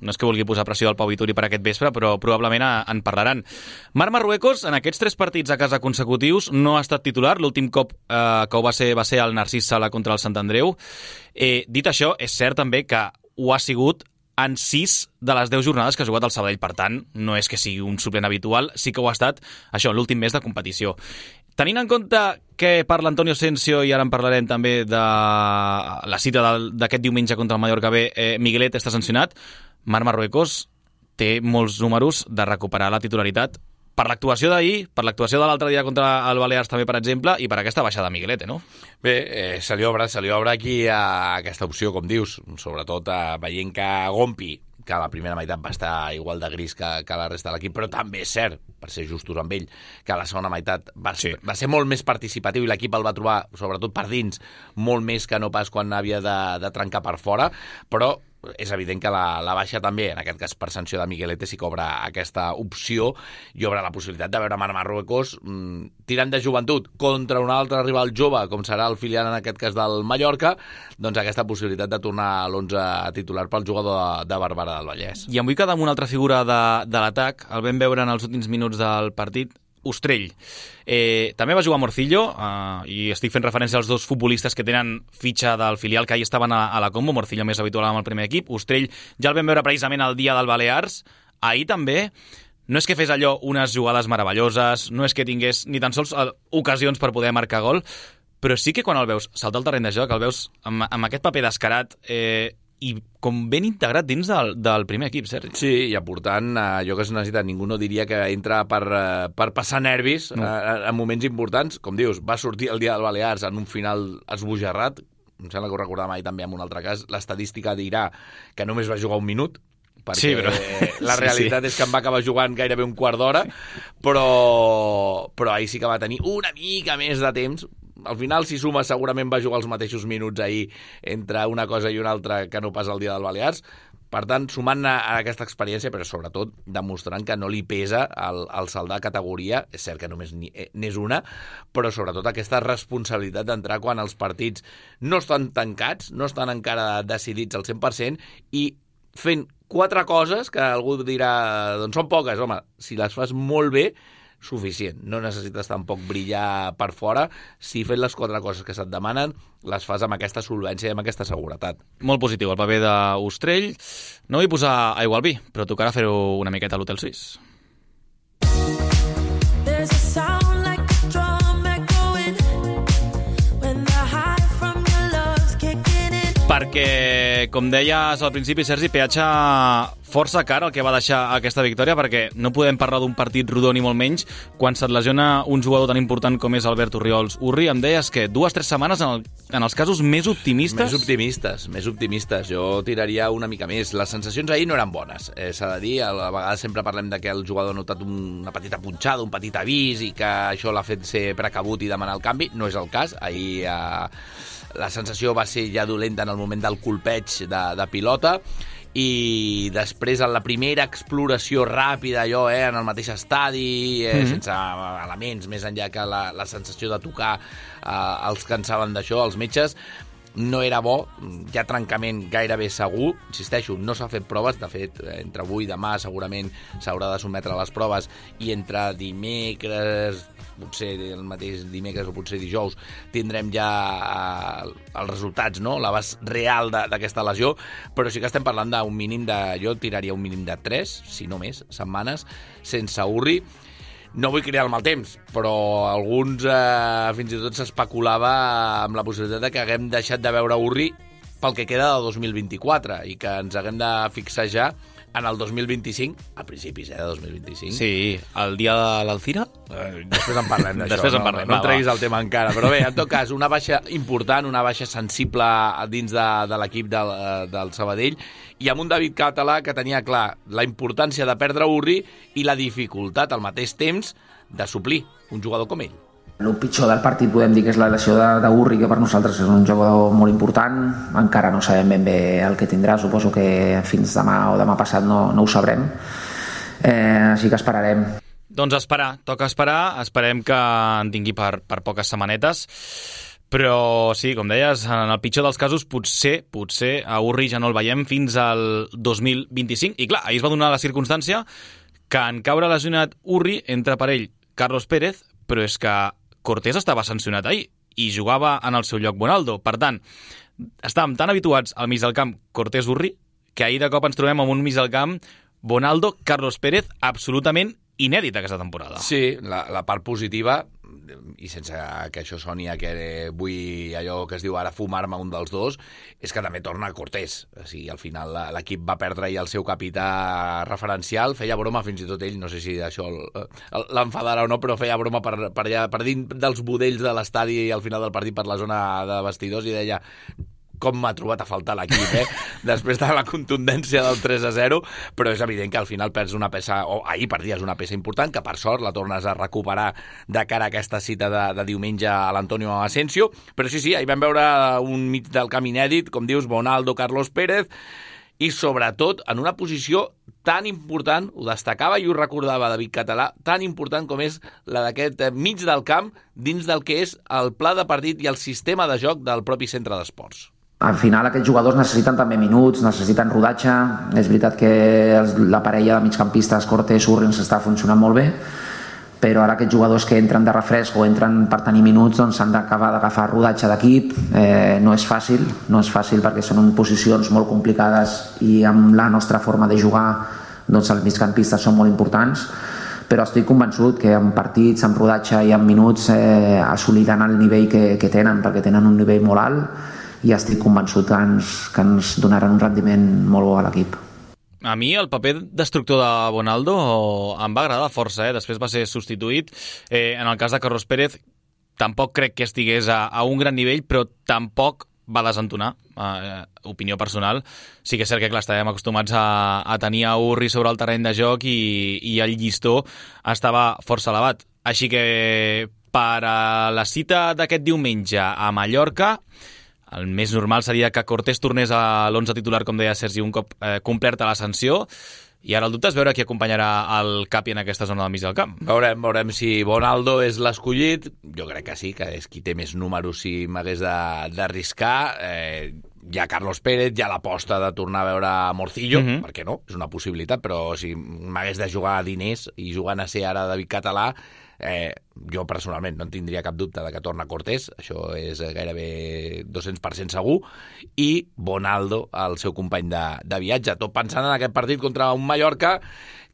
no és que vulgui posar pressió al Pau Vituri per aquest vespre, però probablement en parlaran. Marc Marruecos, en aquests tres partits a casa consecutius, no ha estat titular. L'últim cop eh, que ho va ser va ser el Narcís Sala contra el Sant Andreu. Eh, dit això, és cert també que ho ha sigut en sis de les deu jornades que ha jugat el Sabadell. Per tant, no és que sigui un suplent habitual, sí que ho ha estat, això, l'últim mes de competició. Tenint en compte que parla Antonio Asensio, i ara en parlarem també de la cita d'aquest diumenge contra el Mallorca B, eh, Miguelet està sancionat, Marc Marruecos té molts números de recuperar la titularitat per l'actuació d'ahir, per l'actuació de l'altre dia contra el Balears també, per exemple, i per aquesta baixada de Miguelete, no? Bé, eh, se li obre, se li obre aquí a aquesta opció, com dius, sobretot eh, veient que Gompi, que a la primera meitat va estar igual de gris que, que la resta de l'equip, però també és cert, per ser justos amb ell, que a la segona meitat va, sí. va ser molt més participatiu i l'equip el va trobar, sobretot per dins, molt més que no pas quan havia de, de trencar per fora, però és evident que la, la baixa també, en aquest cas per sanció de Miguelete, sí que obre aquesta opció i obre la possibilitat de veure Marc Marruecos mmm, tirant de joventut contra un altre rival jove, com serà el filial en aquest cas del Mallorca, doncs aquesta possibilitat de tornar a l'onze titular pel jugador de, de Barberà del Vallès. I em vull quedar amb una altra figura de, de l'atac, el vam veure en els últims minuts del partit, Ostrell. Eh, també va jugar Morcillo, eh, i estic fent referència als dos futbolistes que tenen fitxa del filial que ahir estaven a, a la Combo. Morcillo més habitual amb el primer equip. Ostrell ja el vam veure precisament el dia del Balears. Ahir també no és que fes allò unes jugades meravelloses, no és que tingués ni tan sols ocasions per poder marcar gol, però sí que quan el veus saltar al terreny de joc, el veus amb, amb aquest paper descarat, eh, i com ben integrat dins del, del primer equip, Sergi. Sí, i aportant allò que es necessita. Ningú no diria que entra per, per passar nervis no. en, en moments importants. Com dius, va sortir el dia del Balears en un final esbojarrat. Em sembla que ho recordàvem ahir també en un altre cas. L'estadística dirà que només va jugar un minut, perquè sí, però... la realitat sí, sí. és que em va acabar jugant gairebé un quart d'hora, però, però ahir sí que va tenir una mica més de temps. Al final, si suma, segurament va jugar els mateixos minuts ahir entre una cosa i una altra que no pas el dia del Balears. Per tant, sumant a, a aquesta experiència, però sobretot demostrant que no li pesa el, el salt de categoria, és cert que només n'és una, però sobretot aquesta responsabilitat d'entrar quan els partits no estan tancats, no estan encara decidits al cent per cent, i fent quatre coses que algú dirà, doncs són poques, home, si les fas molt bé, suficient. No necessites tampoc brillar per fora. Si fent les quatre coses que se't demanen, les fas amb aquesta solvència i amb aquesta seguretat. Molt positiu el paper d'Ostrell. No vull posar aigua al vi, però tocarà fer-ho una miqueta a l'Hotel Suís. Perquè, com deies al principi, Sergi, peatge força car el que va deixar aquesta victòria, perquè no podem parlar d'un partit rodó ni molt menys quan se't lesiona un jugador tan important com és Albert Orriols. Urri, em deies que dues, tres setmanes en, el, en els casos més optimistes? Més optimistes, més optimistes. Jo tiraria una mica més. Les sensacions ahir no eren bones, eh, s'ha de dir. A vegades sempre parlem de que el jugador ha notat una petita punxada, un petit avís, i que això l'ha fet ser precabut i demanar el canvi. No és el cas. Ahir eh, la sensació va ser ja dolenta en el moment del colpeig de, de pilota, i després en la primera exploració ràpida, allò, eh, en el mateix estadi, eh, mm-hmm. sense elements, més enllà que la, la sensació de tocar eh, els que en saben d'això, els metges, no era bo, hi ha trencament gairebé segur, insisteixo, no s'ha fet proves, de fet, entre avui i demà segurament s'haurà de sotmetre a les proves, i entre dimecres, potser el mateix dimecres o potser dijous, tindrem ja eh, els resultats, no?, l'abast real d'aquesta lesió, però sí que estem parlant d'un mínim de, jo tiraria un mínim de tres, si no més, setmanes, sense Urri. No vull crear el mal temps, però alguns eh, fins i tot s'especulava amb la possibilitat de que haguem deixat de veure Urri pel que queda del dos mil vint-i-quatre i que ens haguem de fixar ja en el dos mil vint-i-cinc, a principis eh, de dos mil vint-i-cinc. Sí, el dia de l'Alcira? Eh, després en parlem d'això, després en no, parlem, no, no va, treguis va. el tema encara. Però bé, en tot cas, una baixa important, una baixa sensible dins de, de l'equip del, del Sabadell, i amb un David Català que tenia clar la importància de perdre Urri i la dificultat al mateix temps de suplir un jugador com ell. El pitjor del partit podem dir que és la lesió d'Urri, que per nosaltres és un jugador molt important. Encara no sabem ben bé el que tindrà, suposo que fins demà o demà passat no, no ho sabrem. Eh, així que esperarem. Doncs esperar, toca esperar, esperem que en tingui per, per poques setmanetes, però sí, com deies, en el pitjor dels casos potser, potser a Urri ja no el veiem fins al dos mil vint-i-cinc, i clar, ahir es va donar la circumstància que en caure lesionat Urri entra per ell Carlos Pérez, però és que Cortés estava sancionat ahir i jugava en el seu lloc Bonaldo. Per tant, estàvem tan habituats al mig del camp Cortés-Urri que ahir de cop ens trobem amb un mig del camp Bonaldo-Carlos Pérez absolutament inèdit aquesta temporada. Sí, la, la part positiva, i sense que això soni a que vull allò que es diu ara fumar-me un dels dos, és que també torna Cortés. O sigui, al final l'equip va perdre i el seu capità referencial, feia broma fins i tot ell, no sé si això l'enfadarà o no, però feia broma per, per, allà, per dins dels budells de l'estadi al final del partit per la zona de vestidors i deia com m'ha trobat a faltar l'equip, eh? Després de la contundència del tres a zero, però és evident que al final perds una peça, o ahir perdies una peça important, que per sort la tornes a recuperar de cara a aquesta cita de, de diumenge a l'Antonio Asensio, però sí, sí, ahir vam veure un mig del camp inèdit, com dius, Bonaldo, Carlos Pérez, i sobretot en una posició tan important, ho destacava i ho recordava David Català, tan important com és la d'aquest mig del camp dins del que és el pla de partit i el sistema de joc del propi centre d'esports. Al final aquests jugadors necessiten també minuts, necessiten rodatge. És veritat que la parella de migcampistes Cortés-Urri ens està funcionant molt bé, però ara aquests jugadors que entren de refresc o entren per tenir minuts doncs s'han d'acabar d'agafar rodatge d'equip. Eh, no és fàcil, no és fàcil perquè són posicions molt complicades i amb la nostra forma de jugar doncs els migcampistes són molt importants, però estic convençut que en partits, en rodatge i en minuts eh, assoliran el nivell que, que tenen, perquè tenen un nivell molt alt, i estic convençut que ens, que ens donaran un rendiment molt bo a l'equip. A mi el paper destructor de Bonaldo em va agradar força, eh? Després va ser substituït. Eh, en el cas de Carlos Pérez tampoc crec que estigués a, a un gran nivell, però tampoc va desentonar, eh, opinió personal. Sí que és cert que clar, estàvem acostumats a, a tenir a Urri sobre el terreny de joc i, i el llistó estava força elevat. Així que per a la cita d'aquest diumenge a Mallorca, el més normal seria que Cortés tornés a l'onze titular, com deia Sergi, un cop eh, complerta la sanció, i ara el dubte és veure qui acompanyarà el Capi en aquesta zona del mig del camp. Veurem, veurem si Bonaldo és l'escollit. Jo crec que sí, que és qui té més números si m'hagués d'arriscar. Eh, hi ha Carlos Pérez, hi ha l'aposta de tornar a veure Morcillo, mm-hmm. per què no? És una possibilitat, però si m'hagués de jugar a diners i jugant a ser ara David Català, Eh, jo personalment no en tindria cap dubte de que torna Cortés, això és gairebé dos-cents per cent segur, i Bonaldo, el seu company de, de viatge, tot pensant en aquest partit contra un Mallorca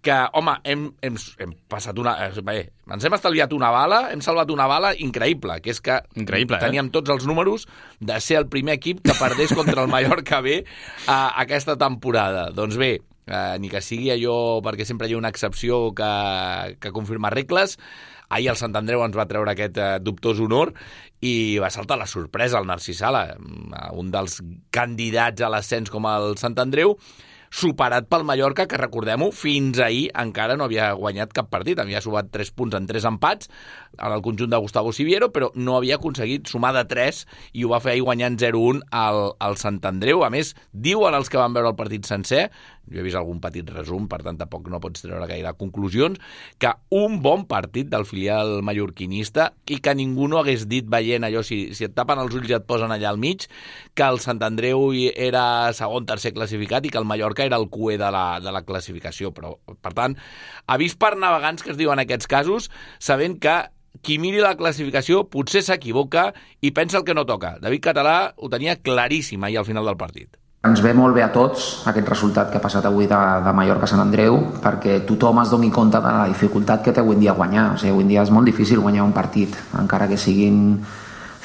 que, home, hem, hem, hem passat una... Bé, ens hem estalviat una bala, hem salvat una bala increïble, que és que increïble, teníem eh? tots els números de ser el primer equip que perdés contra el Mallorca B a aquesta temporada. Doncs bé, eh, ni que sigui allò perquè sempre hi ha una excepció que, que confirma regles. Ahir el Sant Andreu ens va treure aquest eh, dubtós honor i va saltar la sorpresa al Narcís Sala, un dels candidats a l'ascens com el Sant Andreu, superat pel Mallorca, que recordem-ho, fins ahir encara no havia guanyat cap partit, havia sumat tres punts en tres empats en el conjunt de Gustavo Siviero, però no havia aconseguit sumar de tres i ho va fer ahir guanyant zero un al, al Sant Andreu. A més, diuen els que van veure el partit sencer, jo he vist algun petit resum, per tant tampoc no pots treure gaire conclusions, que un bon partit del filial mallorquinista i que ningú no hagués dit veient allò, si, si et tapen els ulls i et posen allà al mig, que el Sant Andreu era segon, tercer classificat i que el Mallorca era el cué de la, de la classificació. Però, per tant, avís per navegants que es diuen en aquests casos, sabent que qui miri la classificació potser s'equivoca i pensa el que no toca. David Català ho tenia claríssim ahir al final del partit. Ens ve molt bé a tots aquest resultat que ha passat avui de, de Mallorca a Sant Andreu, perquè tothom es doni compte de la dificultat que té avui en dia guanyar. O sigui, avui en dia és molt difícil guanyar un partit, encara que siguin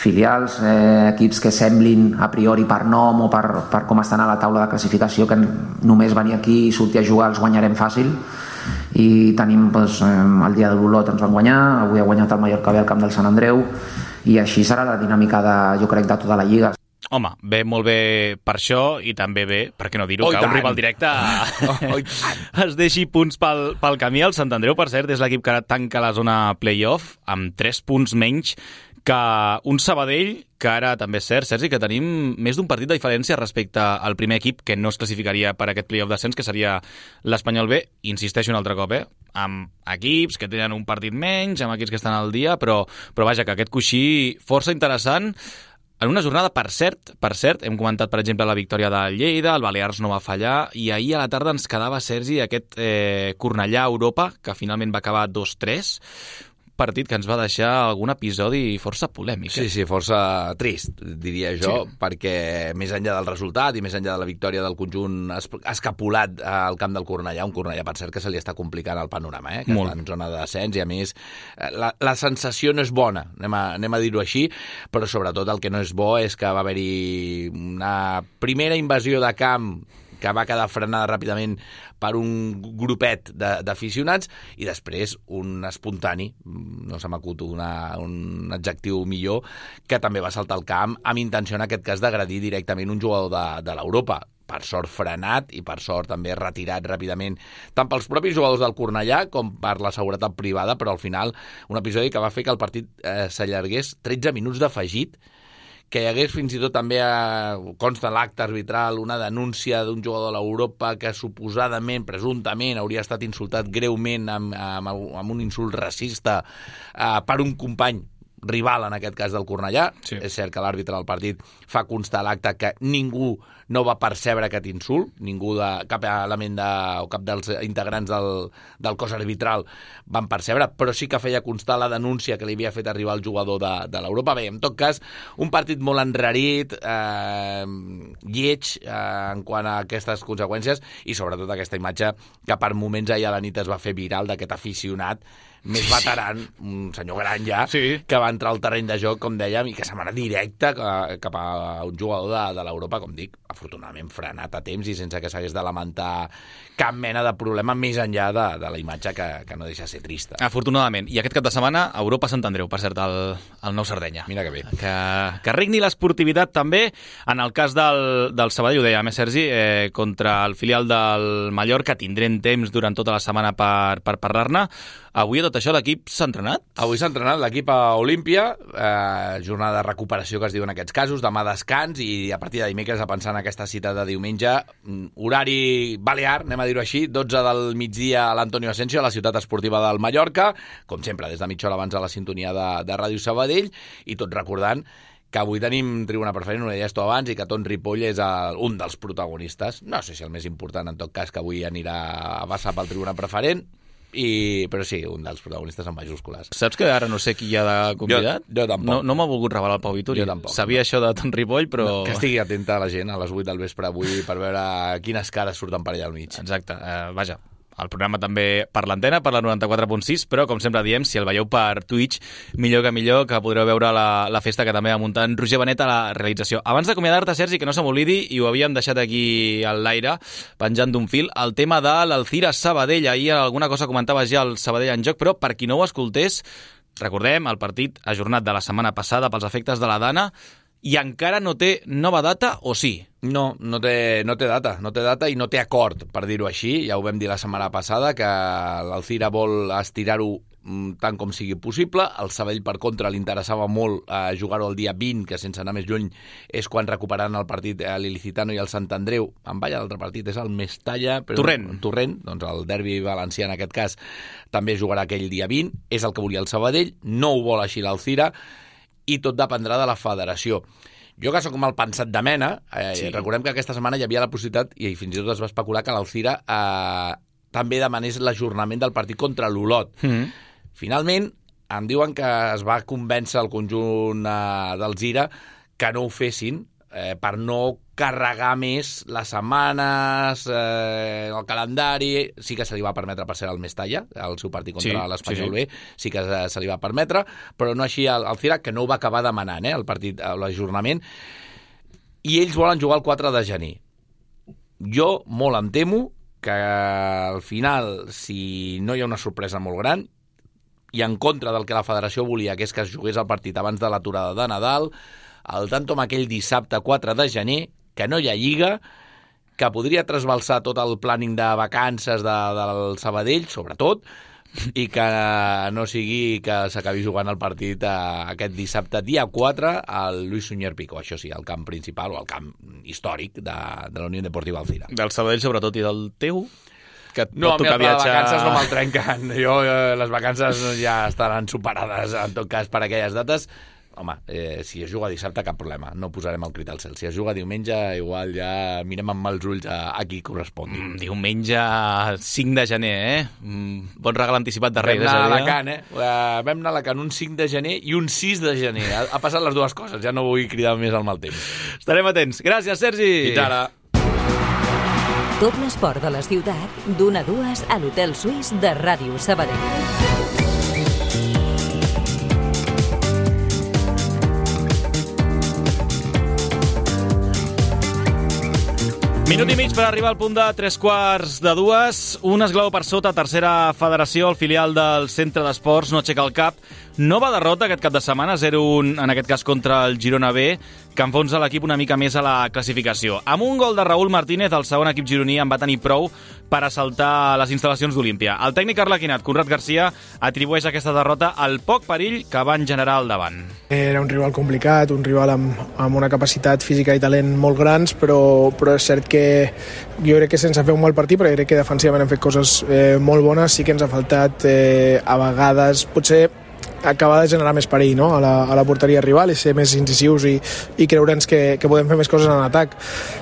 filials, eh, equips que semblin a priori per nom o per, per com estan a la taula de classificació, que només venir aquí i sortir a jugar els guanyarem fàcil, i tenim doncs, el dia de l'Olot ens van guanyar, avui ha guanyat el Mallorca B al camp del Sant Andreu, i així serà la dinàmica de, jo crec, de tota la Lliga. Home, ve molt bé per això i també bé, per què no dir-ho, que un rival directe oh, es deixi punts pel, pel camí. El Sant Andreu, per cert, és l'equip que ara tanca la zona playoff amb tres punts menys que un Sabadell, que ara també és cert, Sergi, que tenim més d'un partit de diferència respecte al primer equip que no es classificaria per aquest playoff d'ascens, que seria l'Espanyol B. Insisteixo un altre cop, eh? Amb equips que tenen un partit menys, amb equips que estan al dia, però, però vaja, que aquest coixí força interessant. En una jornada, per cert, per cert, hem comentat, per exemple, la victòria de Lleida, el Balears no va fallar, i ahir a la tarda ens quedava, Sergi, aquest eh, Cornellà-Europa, que finalment va acabar dos tres, partit que ens va deixar algun episodi força polèmic. Sí, sí, força trist, diria jo, sí. Perquè més enllà del resultat i més enllà de la victòria del conjunt escapulat al camp del Cornellà, un Cornellà, per cert, que se li està complicant el panorama, eh? Que Molt. Està en zona de descens i, a més, la, la sensació no és bona, anem a, anem a dir-ho així, però sobretot el que no és bo és que va haver-hi una primera invasió de camp que va quedar frenada ràpidament per un grupet d'aficionats i després un espontani, no se m'acut un adjectiu millor, que també va saltar al camp amb intenció, en aquest cas, d'agredir directament un jugador de, de l'Europa. Per sort frenat i per sort també retirat ràpidament tant pels propis jugadors del Cornellà com per la seguretat privada, però al final un episodi que va fer que el partit eh, s'allargués tretze minuts d'afegit, que hi hagués fins i tot també, eh, consta l'acte arbitral, una denúncia d'un jugador de l'Europa que suposadament, presumptament, hauria estat insultat greument amb, amb, amb un insult racista eh, per un company rival, en aquest cas del Cornellà. Sí. És cert que l'àrbitre del partit fa constar l'acte que ningú no va percebre aquest insult, ningú de cap element de, o cap dels integrants del, del cos arbitral van percebre, però sí que feia constar la denúncia que li havia fet arribar el jugador de, de l'Europa. Bé, en tot cas, un partit molt enrarit, eh, lleig eh, en quant a aquestes conseqüències i sobretot aquesta imatge que per moments ahir a la nit es va fer viral d'aquest aficionat més veteran, un senyor gran ja, sí. que va entrar al terreny de joc, com dèiem, i que se'n va anar directe cap a un jugador de, de l'Europa, com dic, afortunadament frenat a temps i sense que s'hagués de lamentar cap mena de problema més enllà de, de la imatge que, que no deixa de ser trista. Afortunadament. I aquest cap de setmana, Europa-Sant Andreu, per cert, el, el nou Sardenya. Mira que bé. Que, que regni l'esportivitat també. En el cas del, del Sabadell, ho dèiem, eh, Sergi, eh, contra el filial del Mallorca, tindrem temps durant tota la setmana per, per parlar-ne. Avui, a tot això, l'equip s'ha entrenat? Avui s'ha entrenat l'equip a Olímpia, eh, jornada de recuperació que es diu en aquests casos, demà descans i a partir de dimecres a pensar en aquesta cita de diumenge, horari balear, anem a dir-ho així, dotze del migdia a l'Antonio Asensio, a la ciutat esportiva del Mallorca, com sempre, des de mitja hora abans a la sintonia de, de Ràdio Sabadell, i tot recordant que avui tenim tribuna preferent, ho deies tu abans, i que Ton Ripoll és el, un dels protagonistes, no sé si el més important, en tot cas, que avui anirà a passar pel tribuna preferent, I, però sí, un dels protagonistes en majúscules. Saps que ara no sé qui hi ha de convidat? Jo, jo tampoc. No, no m'ha volgut revelar el Pau Vituri. Jo tampoc. Sabia no. això de Ton Ripoll, però... No, que estigui atenta a la gent a les vuit del vespre avui per veure quines cares surten per allà al mig. Exacte. Uh, vaja, el programa també per l'antena, per la noranta-quatre punt sis, però, com sempre diem, si el veieu per Twitch, millor que millor, que podreu veure la, la festa que també va muntar en Roger Benet a la realització. Abans d'acomiadar-te, Sergi, que no se m'oblidi, i ho havíem deixat aquí al l'aire, penjant d'un fil, el tema de l'Alcira Sabadell. Ahir alguna cosa comentaves ja el Sabadell en joc, però per qui no ho escoltés, recordem, el partit ajornat de la setmana passada pels efectes de la Dana, i encara no té nova data, o sí? No, no té, no té data, no té data i no té acord, per dir-ho així. Ja ho vam dir la setmana passada, que l'Alcira vol estirar-ho tant com sigui possible. El Sabadell, per contra, li interessava molt eh, jugar-ho el dia vint, que sense anar més lluny és quan recuperaran el partit eh, l'Ilicitano i el Sant Andreu. En balla, l'altre partit és el Mestalla... Però, Torrent. Torrent, doncs el derbi valencià en aquest cas també jugarà aquell dia vint. És el que volia el Sabadell, no ho vol així l'Alcira, i tot dependrà de la federació. Jo, que soc mal pensat de mena, eh, sí. recordem que aquesta setmana hi havia la possibilitat, i fins i tot es va especular, que l'Alcira eh, també demanés l'ajornament del partit contra l'Olot. Mm-hmm. Finalment, em diuen que es va convèncer el conjunt eh, del Zira que no ho fessin, eh, per no carregar més les setmanes, eh, el calendari. Sí que se li va permetre per ser el Mestalla, el seu partit contra sí, l'Espanyol sí, sí. B, sí que se li va permetre, però no així el, el Cirac, que no ho va acabar demanant, eh, el partit, l'ajornament, i ells volen jugar el quatre de gener. Jo molt em temo que al final, si no hi ha una sorpresa molt gran, i en contra del que la federació volia, que és que es jugués el partit abans de l'aturada de Nadal, el tanto amb aquell dissabte quatre de gener, que no hi ha lliga, que podria trasbalsar tot el planning de vacances de, del Sabadell, sobretot, i que no sigui que s'acabi jugant el partit eh, aquest dissabte, dia quatre, al Luis Suñer Picó, això sí, el camp principal o el camp històric de, de la Unió Deportiva Alcira. Del Sabadell, sobretot, i del teu? Que et no, pot tocar viatjar... les vacances no me'l trenquen. Jo, eh, les vacances ja estaran superades, en tot cas, per aquelles dates. Home, eh, si es juga dissabte, cap problema. No posarem el crit al cel. Si es juga diumenge, igual ja mirem amb mals ulls a, a qui correspongui. Mm, diumenge cinc de gener, eh? Mm, bon regal anticipat de Reis. Vam anar a Alacant, eh? Uh, vam anar a Alacant un cinc de gener i un sis de gener. Ha, ha passat les dues coses. Ja no vull cridar més al mal temps. Estarem atents. Gràcies, Sergi. Fins ara. Tot l'esport de la ciutat, d'una a dues a l'Hotel Suís de Ràdio Sabadell. Minut i mig per arribar al punt de tres quarts de dues. Un esglau per sota, tercera federació, el filial del Centre d'Esports no aixeca el cap. Nova derrota aquest cap de setmana, zero un en aquest cas contra el Girona B, que enfonsa l'equip una mica més a la classificació. Amb un gol de Raúl Martínez, el segon equip gironí en va tenir prou per assaltar les instal·lacions d'Olímpia. El tècnic arlequinat, Conrad Garcia, atribueix aquesta derrota al poc perill que van generar al davant. Era un rival complicat, un rival amb, amb una capacitat física i talent molt grans, però, però és cert que jo crec que sense fer un mal partit, però crec que defensivament hem fet coses eh, molt bones, sí que ens ha faltat eh, a vegades, potser acabar de generar més perill, no? a, la, a la porteria rival i ser més incisius i, i creure'ns que, que podem fer més coses en atac.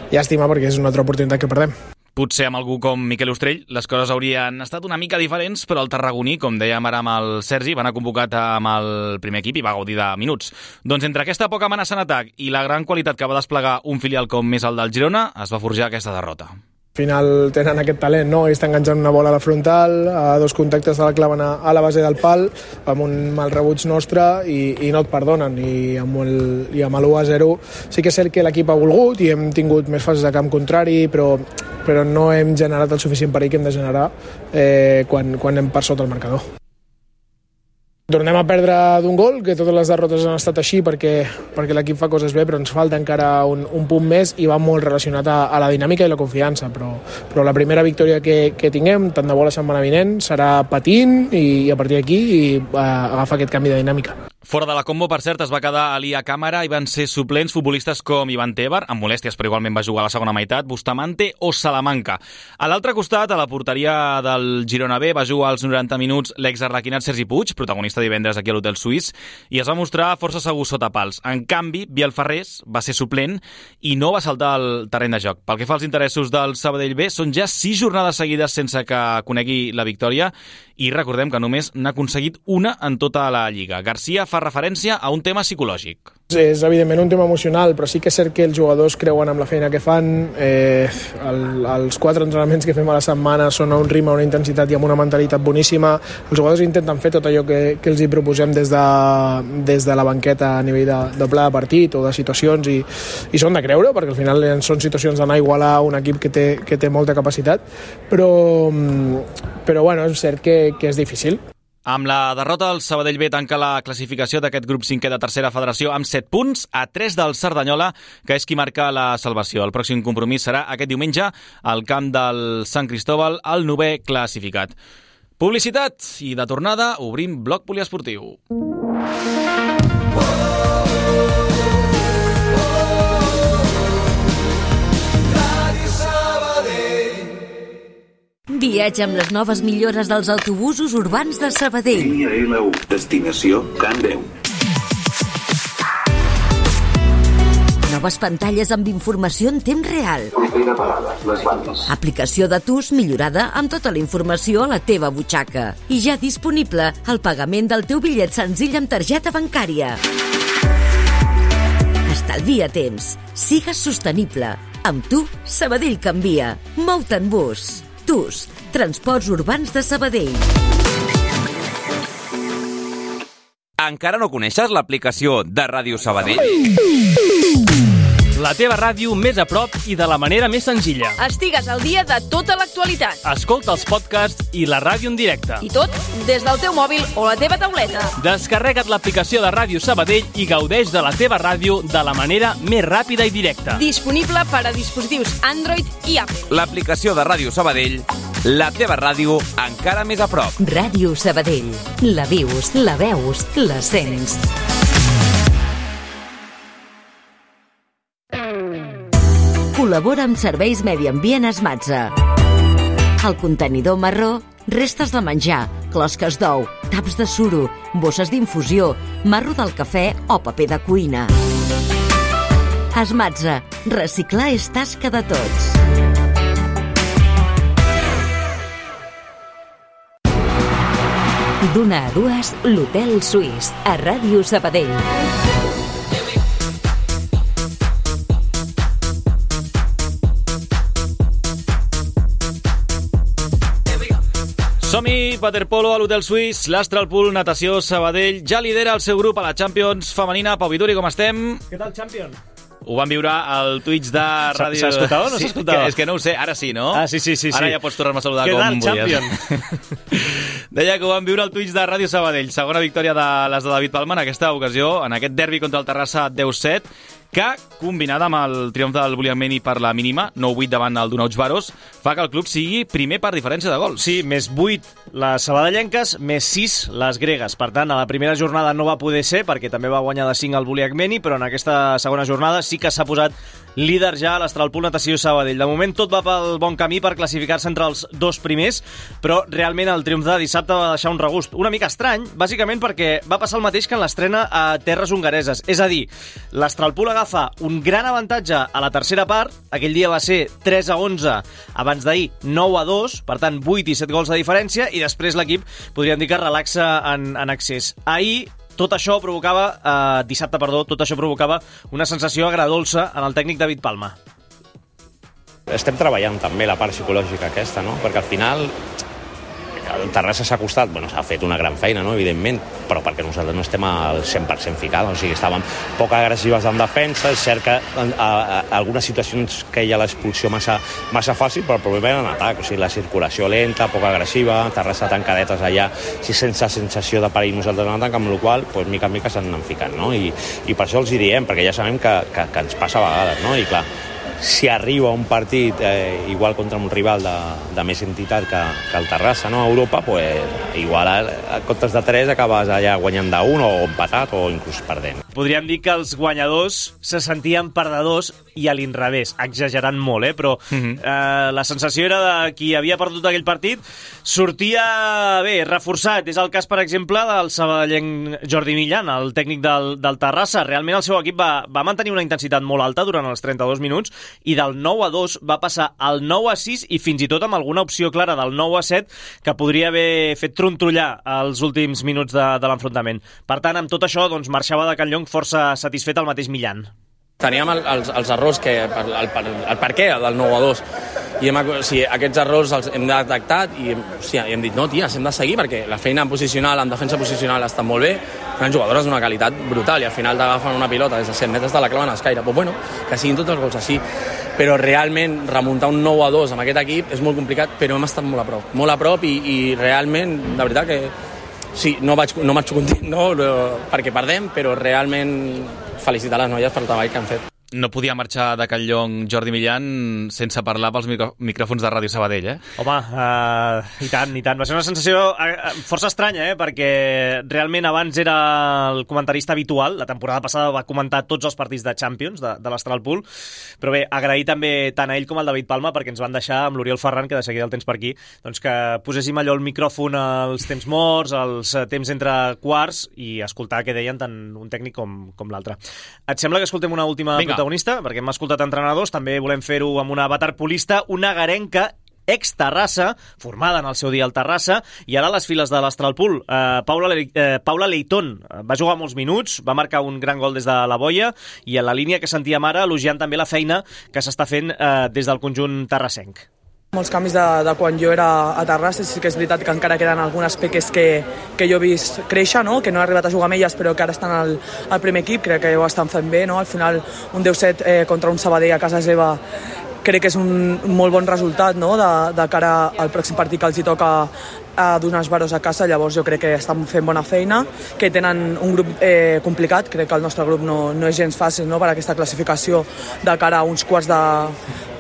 Llàstima perquè és una altra oportunitat que perdem. Potser amb algú com Miquel Ostrell les coses haurien estat una mica diferents, però el tarragoní, com dèiem ara amb el Sergi, va anar convocat amb el primer equip i va gaudir de minuts. Doncs entre aquesta poca amenaça en atac i la gran qualitat que va desplegar un filial com més el del Girona, es va forjar aquesta derrota. Al final tenen aquest talent, no? I estan enganxant una bola a la frontal, a dos contactes de la claven a, a la base del pal, amb un mal rebuig nostre i, i no et perdonen. I amb el, i amb l'u a zero sí que és cert que l'equip ha volgut i hem tingut més fases de camp contrari, però, però no hem generat el suficient perill que hem de generar eh, quan, quan hem per sota el marcador. Tornem a perdre d'un gol, que totes les derrotes han estat així perquè, perquè l'equip fa coses bé, però ens falta encara un, un punt més i va molt relacionat a, a la dinàmica i la confiança. Però, però la primera victòria que, que tinguem, tant de bo la setmana vinent, serà patint i, i a partir d'aquí i, uh, agafar aquest canvi de dinàmica. Fora de la combo, per cert, es va quedar Ali a càmera i van ser suplents futbolistes com Ivan Tebar, amb molèsties però igualment va jugar a la segona meitat, Bustamante o Salamanca. A l'altre costat, a la porteria del Girona B, va jugar als noranta minuts l'exarlequinat Sergi Puig, protagonista divendres aquí a l'Hotel Suís, i es va mostrar força segur sota pals. En canvi, Biel Ferrés va ser suplent i no va saltar al terreny de joc. Pel que fa als interessos del Sabadell B, són ja sis jornades seguides sense que conegui la victòria i recordem que només n'ha aconseguit una en tota la Lliga. Garcia fa referència a un tema psicològic. És evidentment un tema emocional, però sí que és cert que els jugadors creuen amb la feina que fan. Eh, el, els quatre entrenaments que fem a la setmana són a un ritme, una intensitat i amb una mentalitat boníssima. Els jugadors intenten fer tot allò que, que els hi proposem des de, des de la banqueta a nivell de, de pla de partit o de situacions i, i són de creure, perquè al final són situacions d'anar a igualar un equip que té, que té molta capacitat, però, però bueno, és cert que, que és difícil. Amb la derrota, el Sabadell B tanca la classificació d'aquest grup cinquè de tercera federació amb set punts, a tres del Cerdanyola, que és qui marca la salvació. El pròxim compromís serà aquest diumenge al camp del Sant Cristóbal, el novè classificat. Publicitat i de tornada obrim bloc poliesportiu. Viatge amb les noves millores dels autobusos urbans de Sabadell. Línia L u, destinació Can Deu. Noves pantalles amb informació en temps real. Propera parada, les bandes. Aplicació de T U S millorada amb tota la informació a la teva butxaca. I ja disponible el pagament del teu bitllet senzill amb targeta bancària. Estalvia temps. Sigues sostenible. Amb tu, Sabadell canvia. Mou-te en bus. T U S, Transports Urbans de Sabadell. Encara no coneixes l'aplicació de Ràdio Sabadell? La teva ràdio més a prop i de la manera més senzilla. Estigues al dia de tota l'actualitat. Escolta els podcasts i la ràdio en directe. I tot des del teu mòbil o la teva tauleta. Descarrega't l'aplicació de Ràdio Sabadell i gaudeix de la teva ràdio de la manera més ràpida i directa. Disponible per a dispositius Android i Apple. L'aplicació de Ràdio Sabadell, la teva ràdio encara més a prop. Ràdio Sabadell. La vius, la veus, la sents. Col·labora amb Serveis Medi Ambient Esmatza. El contenidor marró, restes de menjar, closques d'ou, taps de suro, bosses d'infusió, marro del cafè o paper de cuina. Esmatza. Reciclar és tasca de tots. D'una a dues, l'Hotel Suís, a Ràdio Sabadell. Som-hi, waterpolo a l'Hotel Suís, l'Astralpool, natació, Sabadell, ja lidera el seu grup a la Champions femenina. Pau Vituri, com estem? Què tal, Champion? Ho vam viure al Twitch de ràdio... S'ha escoltat o no sí, s'ha escoltat? És que no ho sé, ara sí, no? Ah, sí, sí, sí. Ara sí. ja pots tornar-me a saludar Què com tal, volies. Champion? Deia que ho vam viure al Twitch de Ràdio Sabadell. Segona victòria de les de David Palma en aquesta ocasió, en aquest derbi contra el Terrassa deu set, que, combinada amb el triomf del Buliameni per la mínima, nou vuit davant el Donauts Baros, fa que el club sigui primer per diferència de gols. Sí, més vuit les sabadellenques, més sis les gregues. Per tant, a la primera jornada no va poder ser, perquè també va guanyar de cinc el Buliameni, però en aquesta segona jornada sí que s'ha posat líder ja a l'Astralpool Natació Sabadell. De moment tot va pel bon camí per classificar-se entre els dos primers, però realment el triomf de dissabte va deixar un regust una mica estrany, bàsicament perquè va passar el mateix que en l'estrena a terres hongareses. És a dir, l'Astralpool agafa un gran avantatge a la tercera part, aquell dia va ser tres a onze, abans d'ahir nou a dos, per tant vuit i set gols de diferència, i després l'equip podríem dir que relaxa en, en excés. Ahir tot això provocava, eh, dissabte, perdó, tot això provocava una sensació agradolça en el tècnic David Palma. Estem treballant també la part psicològica aquesta, no? Perquè al final el Terrassa s'ha costat, bueno, s'ha fet una gran feina, no? Evidentment, però perquè nosaltres no estem al cent per cent ficats, o sigui, estàvem poc agressives en defensa, és cert que en a, a, algunes situacions que hi ha l'expulsió massa, massa fàcil, però el problema era en atac, o sigui, la circulació lenta, poc agressiva, Terrassa tancadetes allà, sí, sense sensació de perill nosaltres en atac, amb la qual cosa, pues, mica en mica s'han anat ficant, no? I, i per això els hi diem, perquè ja sabem que, que, que ens passa a vegades, no? I clar, si arriba un partit eh, igual contra un rival de, de més entitat que, que el Terrassa, no? A Europa, pues, igual a, a comptes de tres acabes allà guanyant d'un o empatat o inclús perdent. Podríem dir que els guanyadors se sentien perdedors i a l'inrevés, exagerant molt, eh? Però mm-hmm. eh, la sensació era de qui havia perdut aquell partit sortia bé, reforçat. És el cas, per exemple, del sabadellenc Jordi Millan, el tècnic del, del Terrassa. Realment el seu equip va, va mantenir una intensitat molt alta durant els trenta-dos minuts i del nou a dos va passar al nou a sis i fins i tot amb alguna opció clara del nou a set que podria haver fet trontrollar els últims minuts de, de l'enfrontament. Per tant, amb tot això, doncs, marxava de Can Llong força satisfet el mateix Millan. Teníem el, els, els errors, que, el, el, el per què del nou a dos, i hem, o sigui, aquests errors els hem detectat i, o sigui, i hem dit, no, ties, hem de seguir perquè la feina en posicional, en defensa posicional està molt bé, eren jugadores d'una qualitat brutal i al final t'agafen una pilota des de cent metres de la claven a escaire. Però bueno, que siguin tots els gols així, però realment remuntar un nou a dos amb aquest equip és molt complicat, però hem estat molt a prop, molt a prop i, i realment, de veritat que sí, no vaig, no marxo content, no, perquè perdem, però realment felicitar les noies pel treball que han fet. No podia marxar de Can Llong Jordi Millan sense parlar pels micro micròfons de Ràdio Sabadell, eh? Home, uh, i tant, i tant. Va ser una sensació uh, força estranya, eh? Perquè realment abans era el comentarista habitual. La temporada passada va comentar tots els partits de Champions, de, de l'Astralpool. Però bé, agrair també tant a ell com al David Palma perquè ens van deixar amb l'Oriol Ferran, que de seguida el tens per aquí, doncs que poséssim allò el micròfon als temps morts, als temps entre quarts i escoltar què deien tant un tècnic com, com l'altre. Et sembla que escoltem una última Vinga. protagonista? Perquè hem escoltat entrenadors, també volem fer-ho amb una waterpolista, una garenca ex-Terrassa, formada en el seu dia al Terrassa, i ara a les files de l'Astralpool. Eh, Paula, Le eh, Paula Leitón va jugar molts minuts, va marcar un gran gol des de la boia, i en la línia que sentíem ara, elogiant també la feina que s'està fent eh, des del conjunt terrassenc. Molts canvis de, de quan jo era a Terrassa, sí que és veritat que encara queden algunes peques que, que jo he vist créixer, no? Que no he arribat a jugar amb elles però que ara estan al, al primer equip, crec que ho estan fent bé, no? Al final un deu set eh, contra un Sabadell a casa seva crec que és un molt bon resultat, no? de, de cara al pròxim partit que els hi toca a donar els Varos a casa, llavors jo crec que estan fent bona feina, que tenen un grup eh, complicat, crec que el nostre grup no, no és gens fàcil, no? Per aquesta classificació de cara a uns quarts de,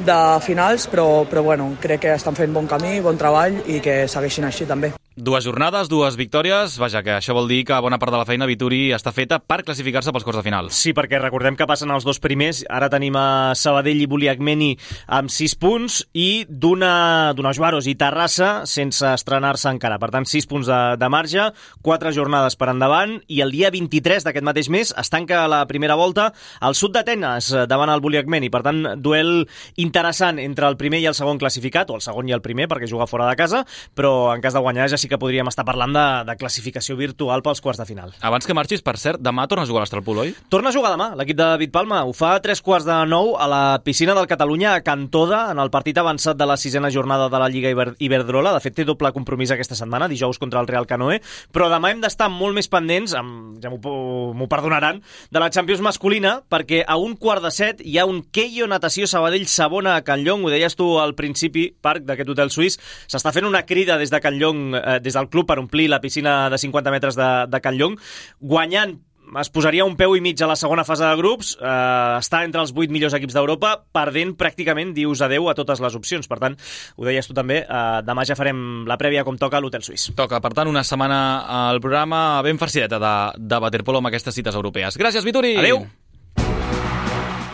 de finals, però, però bueno, crec que estan fent bon camí, bon treball i que segueixin així també. Dues jornades, dues victòries, vaja, que això vol dir que bona part de la feina Vituri està feta per classificar-se pels quarts de final. Sí, perquè recordem que passen els dos primers, ara tenim a Sabadell i Buliagmeni amb sis punts i d'una Varos i Terrassa sense estrenar-se encara. Per tant, sis punts de, de marge, quatre jornades per endavant, i el dia vint-i-tres d'aquest mateix mes es tanca la primera volta al sud d'Atenes davant el Buliagmeni. Per tant, duel interessant entre el primer i el segon classificat, o el segon i el primer, perquè juga fora de casa, però en cas de guanyar ja sí que podríem estar parlant de, de classificació virtual pels quarts de final. Abans que marxis, per cert, demà torna a jugar a l'Astralpool, oi? Torna a jugar demà, l'equip de David Palma. Ho fa a tres quarts de nou a la piscina del Catalunya a Can Toda, en el partit avançat de la sisena jornada de la Lliga Iber Iberdrola. De fet, té doble compromís aquesta setmana, dijous contra el Real Canoe, però demà hem d'estar molt més pendents, amb, ja m'ho perdonaran, de la Champions masculina, perquè a un quart de set hi ha un Keio Natació Sabadell Sabona a Can Llong. Ho deies tu al principi, Parc, d'aquest hotel suís. S'està fent una crida des de Can Llong, eh, des del club, per omplir la piscina de cinquanta metres de, de Can Llong. Guanyant es posaria un peu i mig a la segona fase de grups, eh, està entre els vuit millors equips d'Europa, perdent pràcticament dius adeu a totes les opcions. Per tant, ho deies tu també, eh, demà ja farem la prèvia com toca a l'Hotel Suís. Toca, per tant, una setmana al programa ben farcideta de, de waterpolo amb aquestes cites europees. Gràcies, Vituri! Adéu!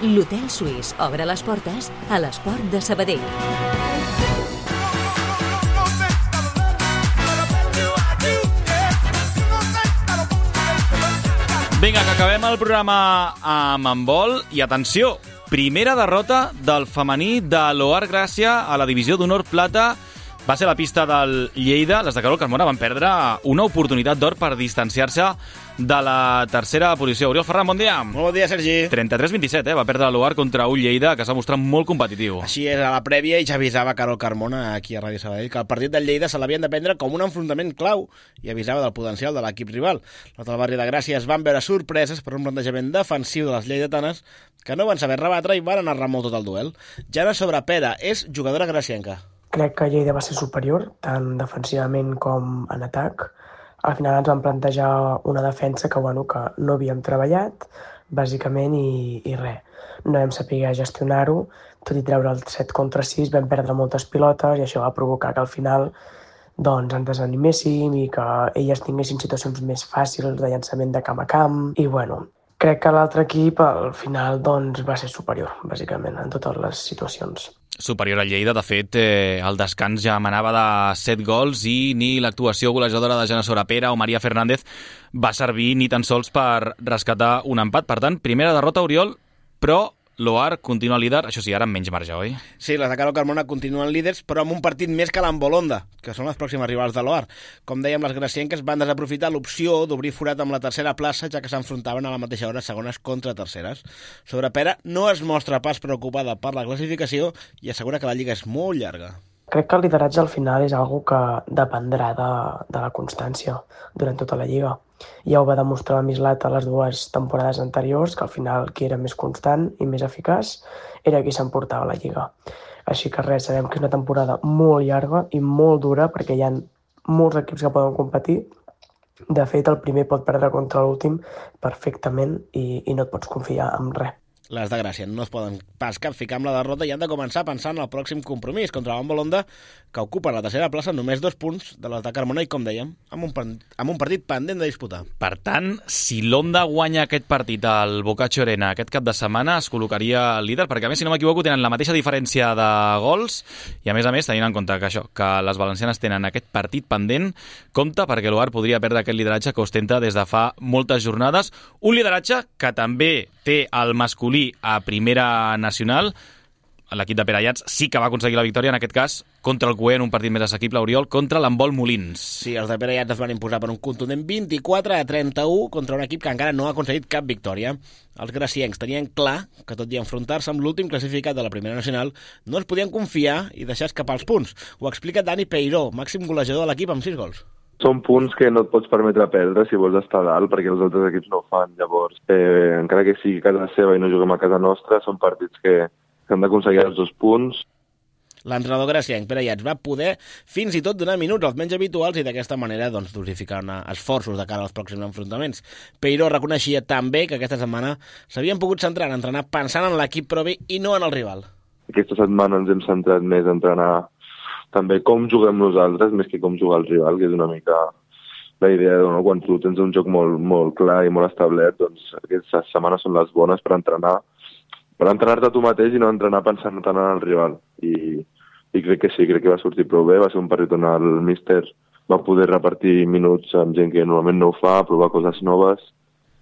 L'Hotel Suís obre les portes a l'esport de Sabadell. Vinga, que acabem el programa amb handbol i atenció, primera derrota del femení de l'Oar Gràcia a la divisió d'honor plata. Va ser la pista del Lleida. Les de Carol Carmona van perdre una oportunitat d'or per distanciar-se de la tercera posició. Oriol Ferran, bon dia. Molt bon dia, Sergi. trenta-tres vint-i-set, eh? Va perdre l'Oar contra un Lleida que s'ha mostrat molt competitiu. Així és, a la prèvia, i ja avisava Carol Carmona aquí a Ràdio Sabadell que el partit del Lleida se l'havien de prendre com un enfrontament clau i avisava del potencial de l'equip rival. Els del barri de Gràcia es van veure sorpreses per un plantejament defensiu de les lleidatanes que no van saber rebatre i van anar molt tot el duel. Jana Sobrapera és jugadora gracienca. Crec que Lleida va ser superior, tant defensivament com en atac. Al final ens van plantejar una defensa que, bueno, que no havíem treballat, bàsicament, i, i res. No vam saber gestionar-ho, tot i treure el set contra sis, vam perdre moltes pilotes i això va provocar que al final doncs, ens desaniméssim i que elles tinguessin situacions més fàcils de llançament de camp a camp. I, bueno, crec que l'altre equip al final doncs, va ser superior, bàsicament, en totes les situacions. Superior a Lleida, de fet, eh, el descans ja manava de set gols i ni l'actuació golejadora de Jana Sobrapera o Maria Fernández va servir ni tan sols per rescatar un empat. Per tant, primera derrota, Oriol, però l'Oar continua líder, això sí, ara amb menys marge, oi? Sí, les de Carol Carmona continuen líders, però amb un partit més que l'Ambolonda, que són les pròximes rivals de l'Oar. Com dèiem, les gracienques van desaprofitar l'opció d'obrir forat amb la tercera plaça, ja que s'enfrontaven a la mateixa hora segones contra terceres. Sobrapera no es mostra pas preocupada per la classificació i assegura que la lliga és molt llarga. Crec que el lideratge al final és algo que dependrà de, de la constància durant tota la lliga. Ja ho va demostrar la Mislat a les dues temporades anteriors, que al final qui era més constant i més eficaç era qui s'emportava la lliga. Així que res, sabem que és una temporada molt llarga i molt dura perquè hi ha molts equips que poden competir. De fet, el primer pot perdre contra l'últim perfectament i, i no et pots confiar en res. Les de Gràcia no es poden pas capficar amb la derrota i han de començar pensant en el pròxim compromís contra l'Ambolonda, que ocupa la tercera plaça només dos punts de les de Carmona i, com dèiem, amb un, amb un partit pendent de disputar. Per tant, si l'Onda guanya aquest partit al Boccaccio Arena aquest cap de setmana, es col·locaria líder, perquè a més, si no m'equivoco, tenen la mateixa diferència de gols i, a més a més, tenint en compte que això, que les valencianes tenen aquest partit pendent, compte perquè l'Oar podria perdre aquest lideratge que ostenta des de fa moltes jornades. Un lideratge que també té el masculí a primera nacional. l'equip de Pere Ayats sí que va aconseguir la victòria, en aquest cas, contra el Cué en un partit més assequible, Oriol, contra l'Handbol Molins. Sí, els de Pere Ayats es van imposar per un contundent vint-i-quatre a trenta-u contra un equip que encara no ha aconseguit cap victòria. Els graciencs tenien clar que, tot i enfrontar-se amb l'últim classificat de la Primera Nacional, no es podien confiar i deixar escapar els punts. Ho explica Dani Peiró, màxim golejador de l'equip amb sis gols. Són punts que no et pots permetre perdre si vols estar dalt, perquè els altres equips no ho fan. Llavors, eh, encara que sigui casa seva i no juguem a casa nostra, són partits que que han d'aconseguir els dos punts. L'entrenador gracienc, Pere Ayats, va poder fins i tot donar minuts als menys habituals i d'aquesta manera doncs, dosificar esforços de cara als pròxims enfrontaments. Peiró reconeixia també que aquesta setmana s'havien pogut centrar en entrenar pensant en l'equip propi i no en el rival. Aquesta setmana ens hem centrat més a entrenar també com juguem nosaltres, més que com jugar el rival, que és una mica la idea, no? Quan tu tens un joc molt, molt clar i molt establert, doncs aquestes setmanes són les bones per entrenar per entrenar-te tu mateix i no entrenar pensant tant en el rival. I, i crec que sí, crec que va sortir prou bé. Va ser un partit on el míster va poder repartir minuts amb gent que normalment no ho fa, provar coses noves,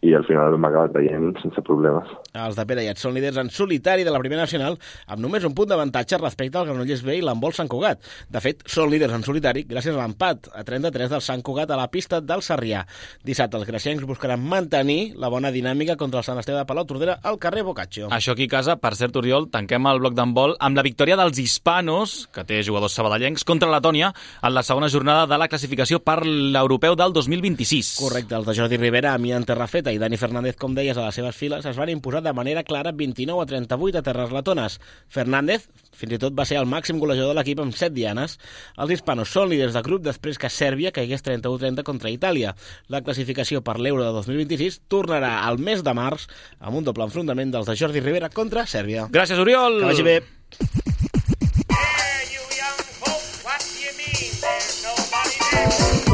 i al final hem acabat veient sense problemes. Els de Pere Ayats són líders en solitari de la Primera Nacional amb només un punt d'avantatge respecte al Granollers B i l'handbol Sant Cugat. De fet, són líders en solitari gràcies a l'empat a trenta-tres del Sant Cugat a la pista del Sarrià. Dissabte els graciencs buscaran mantenir la bona dinàmica contra el Sant Esteve de Palau-Tordera al carrer Boccaccio. Això aquí a casa, per cert, Oriol, tanquem el bloc d'handbol amb la victòria dels hispanos, que té jugadors sabadellencs, contra Letònia en la segona jornada de la classificació per l'Europeu del dos mil vint-i-sis. Correcte, els de Jordi Rivera, Amiant Terrafeta i Dani Fernández, com deies, a les seves files es van imposar de manera clara vint-i-nou a trenta-vuit a terres letones. Fernández fins i tot va ser el màxim golejador de l'equip amb set dianes. Els hispanos són líders de grup després que Sèrbia caigués trenta-u a trenta contra Itàlia. La classificació per l'Euro de dos mil vint-i-sis tornarà al mes de març amb un doble enfrontament dels de Jordi Rivera contra Sèrbia. Gràcies, Oriol! Que vagi bé!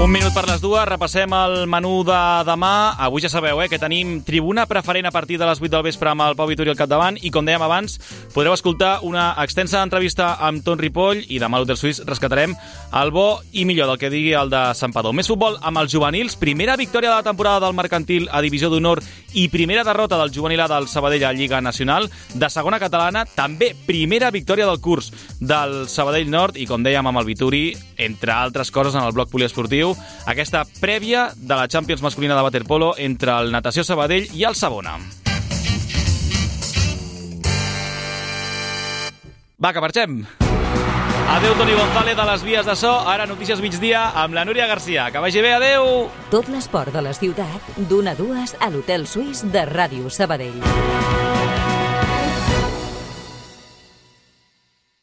Un minut per les dues, repassem el menú de demà. Avui ja sabeu eh, que tenim tribuna preferent a partir de les vuit del vespre amb el Pau Vitori al capdavant i, com dèiem abans, podreu escoltar una extensa entrevista amb Ton Ripoll i demà a l'Hotel Suís rescatarem el bo i millor del que digui el de Santpedor. Més futbol amb els juvenils, primera victòria de la temporada del Mercantil a Divisió d'Honor i primera derrota del juvenil A del Sabadell a Lliga Nacional. De segona catalana, també primera victòria del curs del Sabadell Nord i, com dèiem amb el Vitori, entre altres coses en el bloc poliesportiu, aquesta prèvia de la Champions masculina de waterpolo entre el Natació Sabadell i el Savona. Va, que marxem! Adéu, Toni González, de les vies de so. Ara notícies migdia amb la Núria Garcia. Que vagi bé, adéu! Tot l'esport de la ciutat, d'una a dues a l'Hotel Suís de Ràdio Sabadell.